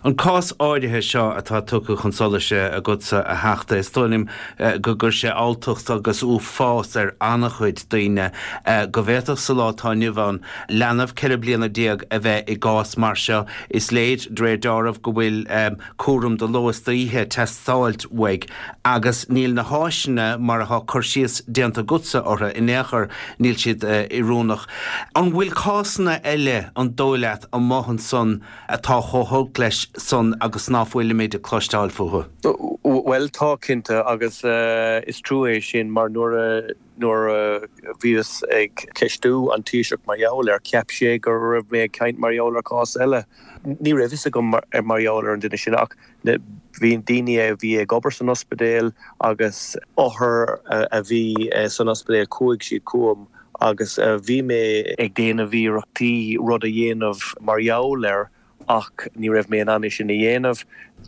An cás áirithe seo atá tugtha chun solais agatsa, a Theachta, is dóigh liom go gcuir sé alltacht agus uafás ar an-chuid daoine go bhféadfadh sa lá atá inniu ann leanbh 14 bliana a bheith i gcás mar seo. Is léir, de réir dealraimh, go bhfuil cúram de ló is d'oíche ag teastáilt uaidh agus níl na háiseanna mar atá cur síos déanta agatsa orthu in aon chor, níl siad oiriúnach. An bhfuil cásanna eile, an dóigh leat, amuigh ansan atá chomh holc leis san agus ná fuilimid ag cloisteáil fúthu? Bhuel, tá, cinnte, agus is trua é sin mar nuair a, nuair a bhíos ag ceistiú an Taoiseach mar gheall air, cheap sé go raibh mé ag caint mar gheall ar chás eile. Ní raibh fhios agam mar gheall ar an duine sin ach bhí daoine a bhí ag obair san ospidéal agus othair a bhí san ospidéal, chuaigh siad chugam agus bhí mé ag déanamh iarrachtaí rud a dhéanamh mar gheall air ach ní raibh mé in ann é sin a dhéanamh.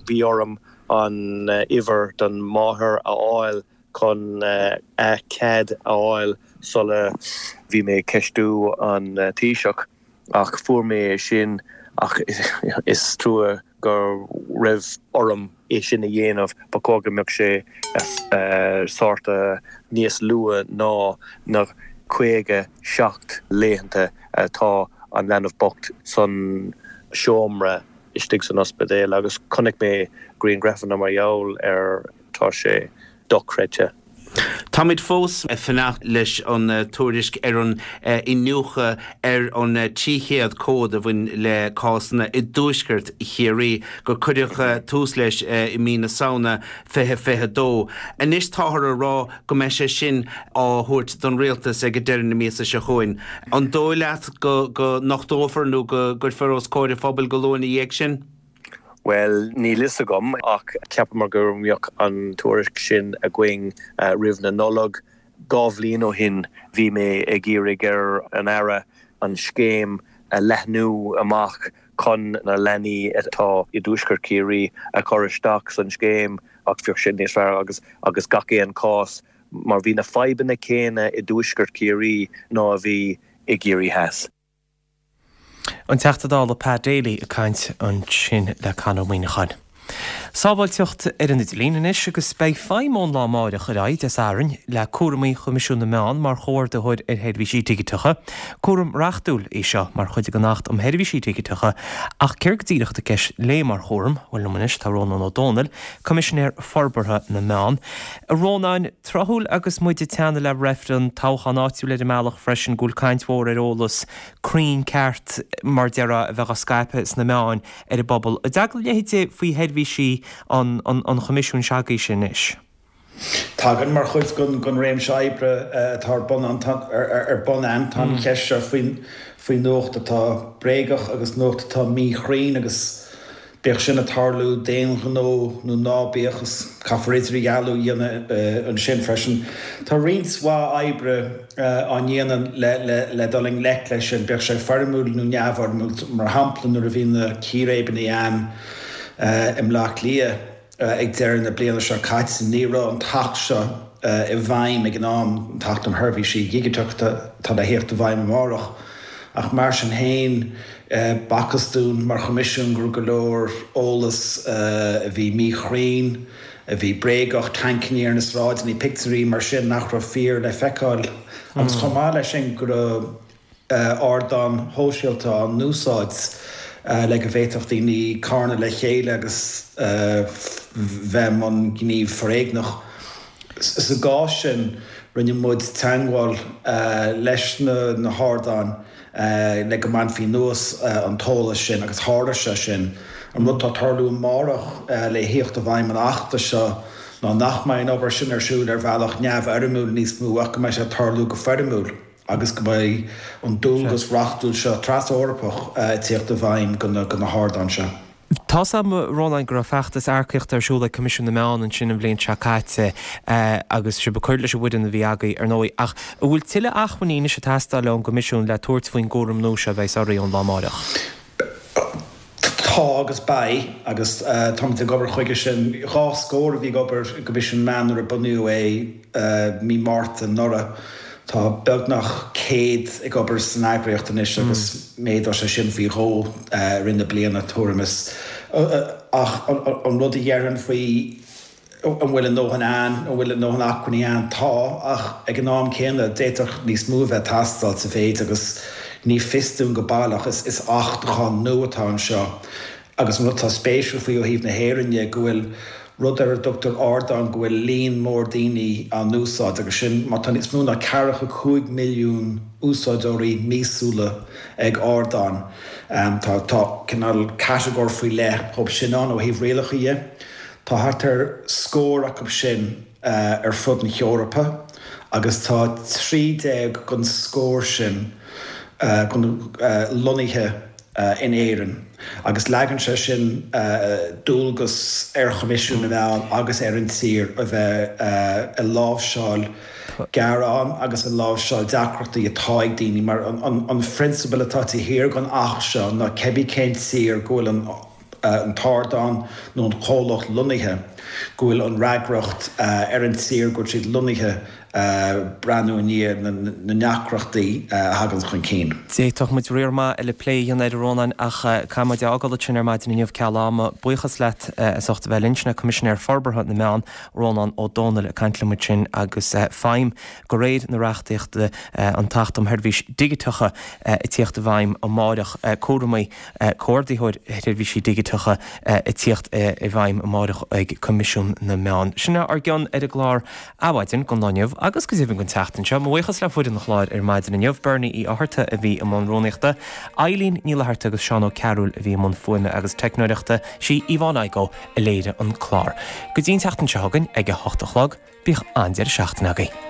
Bhí orm an uimhir don mháthair a fháil chun a cead a fháil sula bhí mé ag ceistiú an Taoiseach ach fuair mé é sin ach is trua go raibh orm é sin a dhéanamh, ba chóir go mbeadh sé sórt níos luath ná na 57 laethanta atá an leanbh bocht san seomra istigh san ospidéal agus chonaic mé grianghrafanna mar gheall air, tá sé dochreidte. Táimid fós ag fanacht leis an tuairisc ar an iniúchadh ar an 300 comhad a bhain le cásanna i dtuaisceart Chiarraí gur cuireadh tús leis i mí na Samhna 2022. Anois táthar ag rá go mbeidh sé sin á thabhairt don Rialtas ag deireadh na míosa seo chugainn. An dóigh leat go nochtófar nó go gcuirfear os comhair an phobail go luath ina dhiaidh sin? Bhuel, níl fhios agam, ach cheapamar go mbeadh an tuairisc sin againn roimh na Nollag. 2 bhliain ó shin bhí mé ag iarraidh ar an Aire an scéim a leathnú amach chun na leanaí atá i dTuaisceart Chiarraí a chur isteach san scéim ach bheadh sé níos fearr agus agus gach aon chás mar bhí na fadhbanna céanna i dTuaisceart Chiarraí ná a bhí i gCiarraí Theas. An Teachta Dála Pat Daly ag caint ansin le Conor Ó Muíneacháin. Sábháilteacht ar an idirlíon anois agus beidh feidhm ón lá amáireach ar aghaidh, Dé Sathairn, le cúramaí Choimisiún na Meán mar chomhordaitheoir ar sheirbhísí digiteacha. Cúram reachtúil é seo mar chuid den Acht um Sheirbhísí Digiteacha ach céard go díreach atá i gceist léi mar chúram? Bhuel liom anois tá Rónán Ó Domhnaill, Coimisinéir Forbartha na Meán. A Rónáin, tráthúil agus muid ag teannadh le reifreann, toghchán áitiúil ar an mbealach freisin, go bhfuil caint mhór ar eolas cruinn ceart, mar a déarfá, a bheith á scaipeadh sna meáin ar an bpobal. An dtagann a leithéid faoi sheirbhísí an Choimisiúin s'agaibhse anois? Tagann, mar chuid den réimse oibre atá ar bun a'inn. Tá an cheist seo faoi nuacht atá bréagach agus nuacht atá míchruinn agus Bíodh sin ag tarlú d'aon ghnó nó ná bíodh, is caithfear idirdhealú a dhéanamh ansin freisin. Tá roinnt mhaith oibre á ndéanamh le dul i ngleic leis sin, bíodh sé foirmiúil nó neamhfhoirmiúil. Mar shampla, nuair a bhí na círéibeanna ann i mBleá Cliath ag deireadh na bliana seo caite, ní raibh an tAcht seo i bhfeidhm ag an am, an tAcht um Sheirbhísí Dhigiteacha atá le thíocht i bhfeidhm amárach. Ach mar sin féin, b'fhacthas dúinn mar Choimisiún go raibh go leor eolas a bhí míchruinn, a bhí bréagach, tancanna ar na sráideanna, pictiúirí mar sin nach raibh fíor le feiceáil agus chomh maith leis sin go raibh ardáin shóisialta á n-úsáid le go bhféadfadh daoine carnadh le chéile agus bheith i mbun gníomh foréigneach. Sa gcás sin, rinne muid teagmháil leis na hardáin le go mbainfí anuas an t-eolas sin agus tharla sé sin. An rud atá ag tarlú amárach le thíocht i bhfeidhm an Achta seo ná nach mbeidh an obair sin ar siúl ar bhealach neamhfhoirmiúil níos mó ach go mbeidh sé ag tarlú go foirmiúil agus go mbeidh an dualgas reachtúil seo tras-Eorpach ag tíocht i bhfeidhm do na hardáin seo. Tá's a'm, a Rónáin, go raibh feachtas earcaíochta ar siúl ag Coimisiún na Meán ansin an bhliain seo caite agus sibh ag cur leis an bhfoireann a bhí agaibh, ar ndóigh. Ach an bhfuil tuilleadh acmhainní anois ag teastáil ón gCoimisiún le tabhairt faoin gcúram nua seo a bheas oraibh ón lá amáireach? Tá agus beidh, agus táimid ag obair chuige sin. 2 scór a bhí ag obair i gCoimisiún na Meán nuair a bunaíodh é mí Márta anuraidh. Tá beagnach 100 ag obair san eagraíocht anois agus méadóidh sé sin faoi dhó i rith na bliana, tuairim is. Ach an rud a déarfainn faoi an bhfuil a ndóthain ann, an bhfuil a ndóthain acmhainní ann, tá, ach ag an am céanna d'fhéadfadh níos mó a bheith ag teastáil sa mhéid agus ní fios dúinn go baileach, is achtachán nua atá anseo. Agus an rud atá spéisiúil faoi ó thaobh na hÉireann dhe, go bhfuil rud ar a dtugtar ardán, go bhfuil líon mór daoine á n-úsáid, agus sin má tá níos mó ná ceathracha 5 milliún úsáideoirí míosúla ag ardán, tá tá cineál catagóir faoi leith dhóibh sin ann ó thaobh rialacha dhe. Tá thart ar scór acu sin ar fud na hEorpa agus tá 13 den scór sin lonnaithe in Éirinn agus leagann sé sin dualgas ar Choimisiún na Meán agus ar an tír a bheith ag láimhseáil gearán agus ag láimhseáil deacrachtaí atá ag daoine mar an phrionsabal atá taobh thiar den Acht seo ná cibé cén tír go bhfuil an an t-ardán nó an comhlacht lonnaithe, go bhfuil an fhreagracht ar an tír go bhfuil siad lonnaithe breathnú i ndiaidh na ndeacrachtaí a thagann chun cinn. D'fhéadfadh muid riar maith eile plé a dhéanamh air, a Rónáin, ach caithfidh muid é a fhágáil ansin ar maidin inniu ceal ama. Buíochas leat as ucht a bheith linn. Sin é Coimisinéir Forbartha na Meán, Rónán Ó Domhnaill, ag caint liom ansin agus feidhm de réir na reachtaíochta, an tAcht um Sheirbhísí Digiteacha ag tíocht i bhfeidhm amáireach, cúramaí Comhordaitheoir Sheirbhísí Digiteacha ag tíocht i bhfeidhm amáireach ag Coimisiún na Meán. Sin é ár gcion ar an gclár Adhmhaidin don lá inniu agus go deimhin don tseachtain seo. Mo bhuíochas le foireann an chláir ar maidin inniu, Bernie Uí Fhátharta a bhí i mbun rúnaíochta, Eileen Ní Fhlatharta agus Seán Ó Cearúil a bhí i mbun fuaime agus teicneoireachta, sí Yvonne Igoe a léirigh an clár. Go dtí an tseachtain seo chugainn ag a hocht a chlog, bíodh an-deireadh seachtaine agaibh.